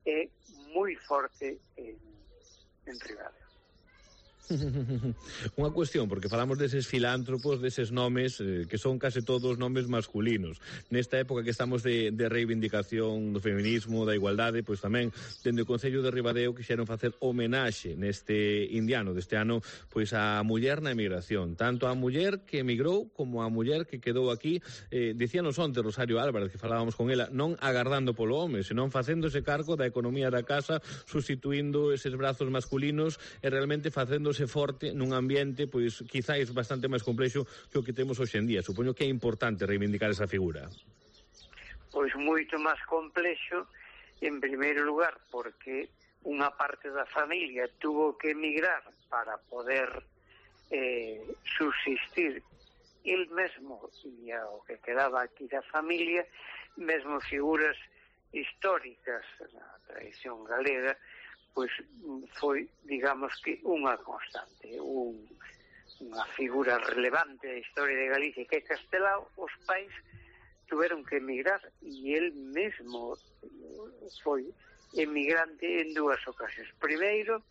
é moi forte en Ribadeo. Unha cuestión, porque falamos deses filántropos, deses nomes que son case todos nomes masculinos. Nesta época que estamos de reivindicación do feminismo, da igualdade, pois tamén dende o Concello de Ribadeo quixeron facer homenaxe neste indiano deste ano pois a muller na emigración, tanto a muller que emigrou como a muller que quedou aquí. Dicíanos onte Rosario Álvarez, que falábamos con ela, non agardando polo home, senón facéndose cargo da economía da casa, sustituindo eses brazos masculinos e realmente facéndose forte nun ambiente pois quizáis bastante máis complexo que o que temos hoxe en día. Supoño que é importante reivindicar esa figura. Pois moito máis complexo, en primeiro lugar, porque unha parte da familia tuvo que emigrar para poder subsistir el mesmo e o que quedaba aquí da familia, mesmo figuras históricas na tradición galega, pois foi, digamos que, unha constante, unha figura relevante da historia de Galicia, que é Castelao. Os pais tuveron que emigrar e el mesmo foi emigrante en dúas ocasións. Primeiro,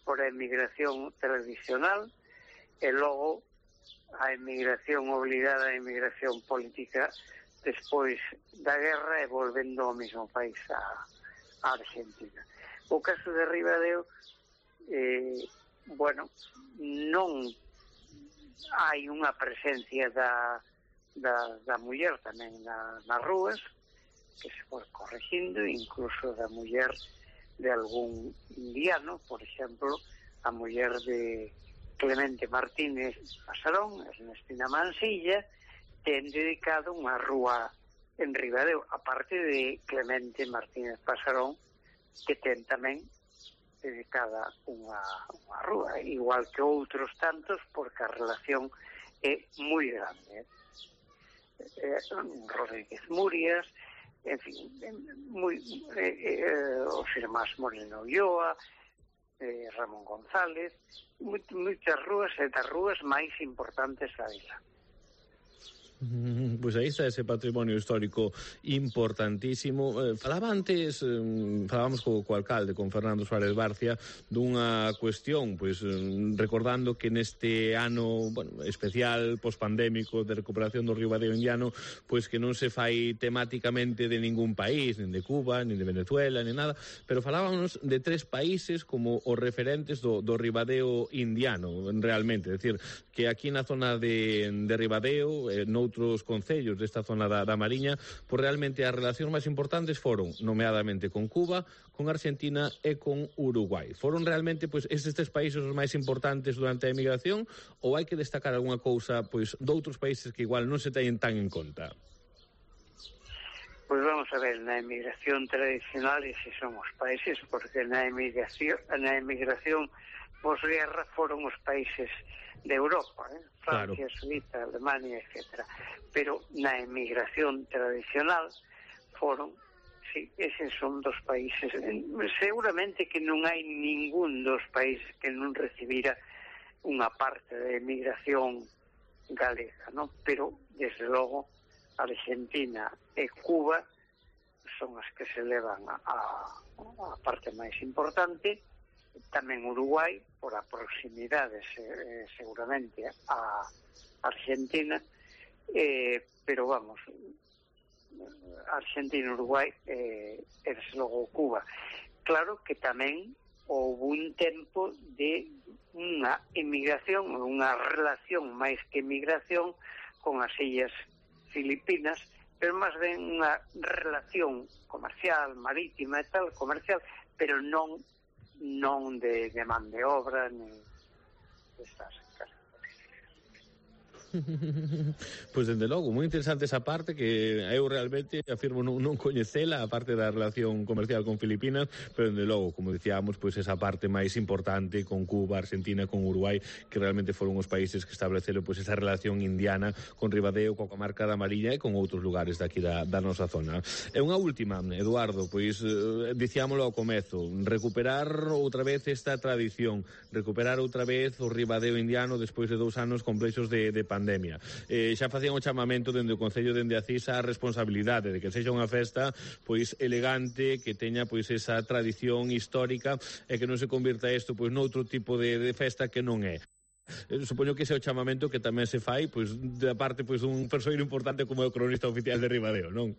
por a emigración tradicional, e logo a emigración obligada, a emigración política, despois da guerra e volvendo ao mesmo país, a Argentina. O caso de Ribadeo, non hai unha presencia da muller tamén nas rúas, que se foi corregindo, incluso da muller de algún indiano, por exemplo, a muller de Clemente Martínez Pasarón, Ernestina Mansilla, ten dedicado unha rúa en Ribadeo, aparte de Clemente Martínez Pasarón, que ten tamén dedicada unha rúa, igual que outros tantos, porque a relación é moi grande. Rodríguez Murias, en fin, os irmáns Moreno Ulloa, Ramón González, moitas rúas e das rúas máis importantes da vila. Pois aí está ese patrimonio histórico importantísimo. Falábamos co alcalde, con Fernando Suárez Barcia, dunha cuestión, pois recordando que neste ano especial pospandémico de recuperación do Ribadeo indiano, pois que non se fai temáticamente de ningún país, nin de Cuba, nin de Venezuela, nin nada, pero falábamos de 3 países como os referentes do Ribadeo indiano, realmente, é dicir, que aquí na zona de Ribadeo, noutros concellos desta zona da Mariña, pois realmente as relacións máis importantes foron, nomeadamente, con Cuba, con Argentina e con Uruguai. Foron realmente pois estes 3 países os máis importantes durante a emigración, ou hai que destacar algunha cousa pois doutros países que igual non se teñen tan en conta? Pois vamos a ver, na emigración tradicional eses son os países, porque na emigración posguerra foron os países de Europa, Francia, claro, Suiza, Alemania, etc. Pero na emigración tradicional foron, sí, eses son dos países. Seguramente que non hai ningún dos países que non recibira unha parte de emigración galega, ¿no? Pero, desde logo, Argentina e Cuba son as que se levan a parte máis importante. Tamén Uruguai, por a proximidade seguramente a Argentina, pero vamos, Argentina, Uruguai e desde logo Cuba. Claro que tamén houve un tempo de unha emigración, unha relación máis que emigración con as illas Filipinas, pero máis ben unha relación comercial, marítima e tal, comercial, pero non de man de obra ni destas características. Pois dende logo, moi interesante esa parte, que eu realmente afirmo non coñecela, a parte da relación comercial con Filipinas, pero dende logo, como dicíamos, pois esa parte máis importante con Cuba, Argentina, con Uruguai, que realmente foron os países que estableceron pois esa relación indiana con Ribadeo, coa comarca da Mariña e con outros lugares daqui da nosa zona. E unha última, Eduardo, pois dicíamolo ao comezo, recuperar outra vez esta tradición, recuperar outra vez o Ribadeo indiano despois de 2 anos complexos de pandemia. pandemia. Xa facían o chamamento dende o Concello dende a CISA a responsabilidade de que sexa unha festa pois elegante, que teña pois esa tradición histórica e que non se convirta isto pois noutro tipo de festa que non é. Supoño que ese é o chamamento que tamén se fai pois da parte pois dun persoeiro importante como é o cronista oficial de Ribadeo, non?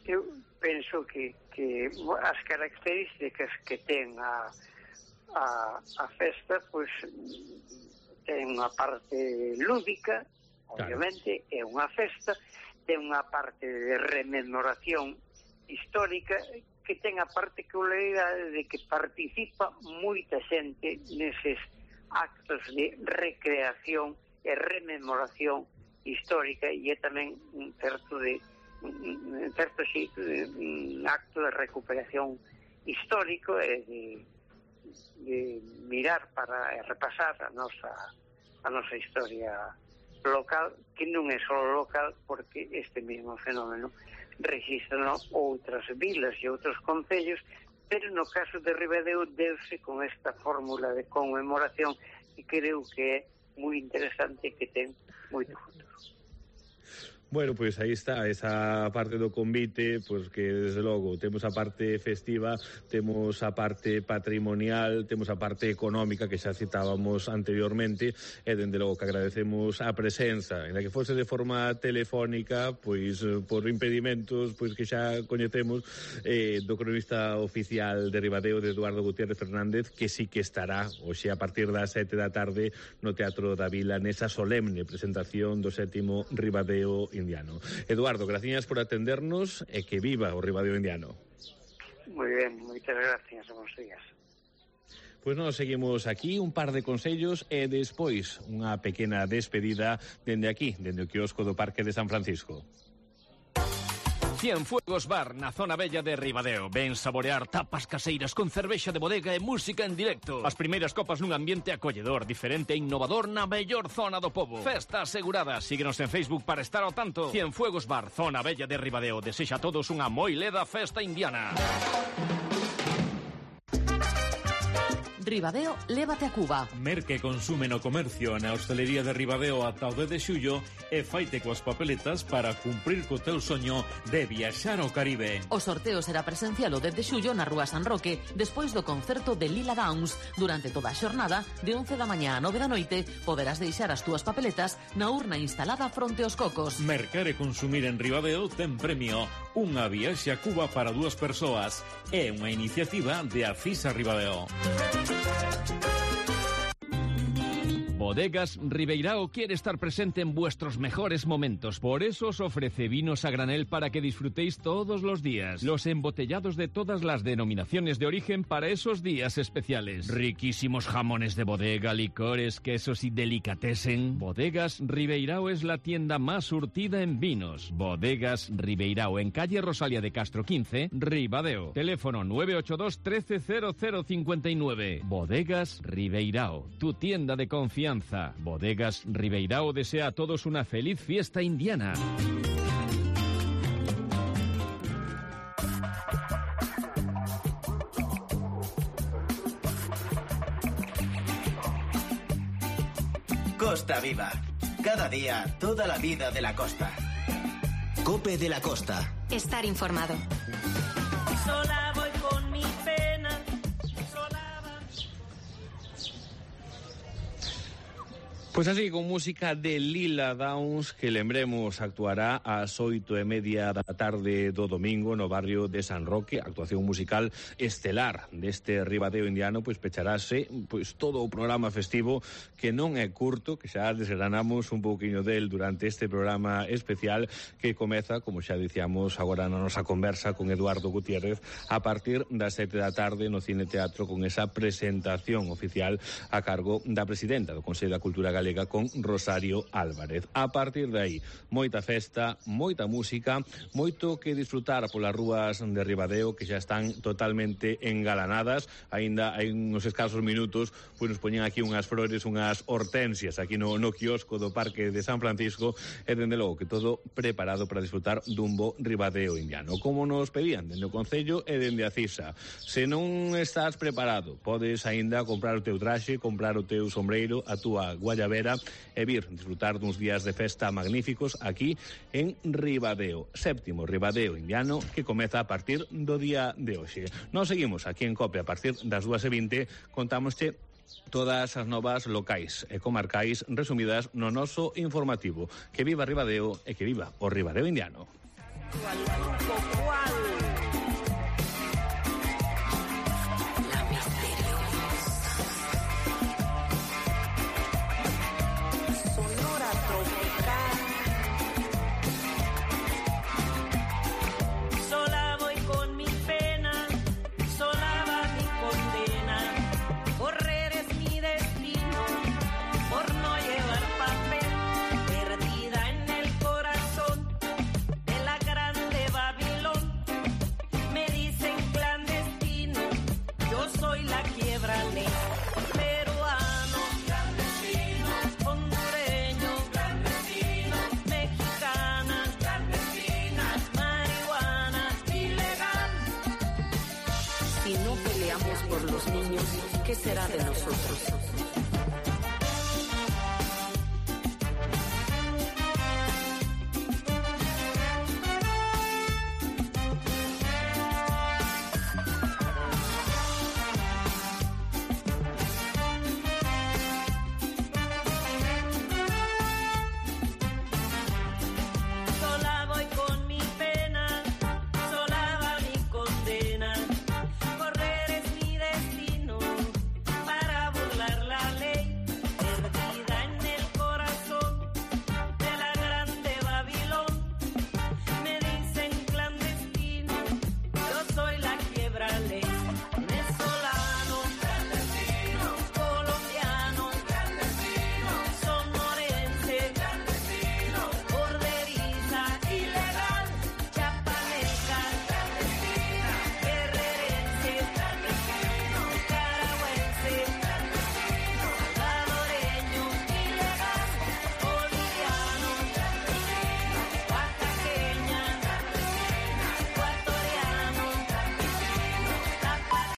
Eu penso que as características que ten a festa pois ten unha parte lúdica, obviamente, é unha festa, ten unha parte de rememoración histórica, que ten a particularidade de que participa moita xente neses actos de recreación e rememoración histórica, e é tamén un certo xeito de un acto de recuperación histórico e de mirar para repasar a nosa historia local, que non é só local, porque este mesmo fenómeno rexistran outras vilas e outros concellos, pero no caso de Ribadeo deuse con esta fórmula de conmemoración que creo que é moi interesante, que ten moito futuro. Bueno, pois aí está esa parte do convite, pois que desde logo temos a parte festiva, temos a parte patrimonial, temos a parte económica que xa citábamos anteriormente, e dende logo que agradecemos a presenza, en la que fose de forma telefónica, pois por impedimentos pois que xa coñecemos, do cronista oficial de Ribadeo, de Eduardo Gutiérrez Fernández, que sí que estará hoxe a partir das 7 da tarde no Teatro da Vila nesa solemne presentación do 7º Ribadeo Indiano. Eduardo, gracias por atendernos e que viva o Ribadeo Indiano. Moi ben, moitas gracias, bons días. Pois nós seguimos aquí un par de consellos e despois unha pequena despedida dende aquí, dende o quiosco do Parque de San Francisco. Cienfuegos Bar, na zona bella de Ribadeo. Ven saborear tapas caseiras con cervexa de bodega e música en directo. As primeiras copas nun ambiente acolledor, diferente e innovador na mellor zona do pobo. Festa asegurada. Síguenos en Facebook para estar ao tanto. Cienfuegos Bar, zona bella de Ribadeo. Desexa a todos unha moi leda festa indiana. Ribadeo, lévate a Cuba. Merque consume no comercio na hostelería de Ribadeo ata o 10 de xullo e faite coas papeletas para cumprir co teu soño de viaxar ao Caribe. O sorteo será presencial o 10 de xullo na Rúa San Roque, despois do concerto de Lila Downs. Durante toda a xornada, de 11 da mañá a 9 da noite, poderás deixar as túas papeletas na urna instalada fronte aos cocos. Mercar e consumir en Ribadeo ten premio. Unha viaxe a Cuba para 2 persoas. É unha iniciativa de Acisa Ribadeo. Bodegas Ribeirao quiere estar presente en vuestros mejores momentos. Por eso os ofrece vinos a granel para que disfrutéis todos los días. Los embotellados de todas las denominaciones de origen para esos días especiales. Riquísimos jamones de bodega, licores, quesos y delicatessen. Bodegas Ribeirao es la tienda más surtida en vinos. Bodegas Ribeirao, en calle Rosalía de Castro 15, Ribadeo. Teléfono 982 130059. Bodegas Ribeirao, tu tienda de confianza. Bodegas Ribeirao desea a todos una feliz fiesta indiana. Costa Viva. Cada día, toda la vida de la costa. Cope de la Costa. Estar informado. Sola voy con mi pena. Pois así, con música de Lila Downs, que lembremos actuará ás 8:30 da tarde do domingo no barrio de San Roque, actuación musical estelar deste Ribadeo Indiano, pois pecharase pois todo o programa festivo, que non é curto, que xa desgranamos un pouquiño del durante este programa especial que comeza, como xa dicíamos agora na nosa conversa con Eduardo Gutiérrez, a partir das 7 da tarde no Cine Teatro, con esa presentación oficial a cargo da presidenta do Consello da Cultura Galega, con Rosario Álvarez. A partir de aí, moita festa, moita música, moito que disfrutar polas rúas de Ribadeo, que xa están totalmente engalanadas. Aínda hai uns escasos minutos, pois nos poñen aquí unhas flores, unhas hortensias aquí no quiosco do Parque de San Francisco, e dende logo que todo preparado para disfrutar dun bo Ribadeo Indiano. Como nos pedían dende o Concello e dende a CISA. Se non estás preparado, podes aínda comprar o teu traxe, comprar o teu sombreiro, a túa guayabera, espera e vir disfrutar duns días de festa magníficos aquí en Ribadeo. Séptimo Ribadeo Indiano que comeza a partir do día de hoxe. Nos seguimos aquí en COPE a partir das 2:20, contámosche todas as novas locais e comarcais resumidas no noso informativo. Que viva Ribadeo e que viva o Ribadeo Indiano. ¿Qué será de nosotros?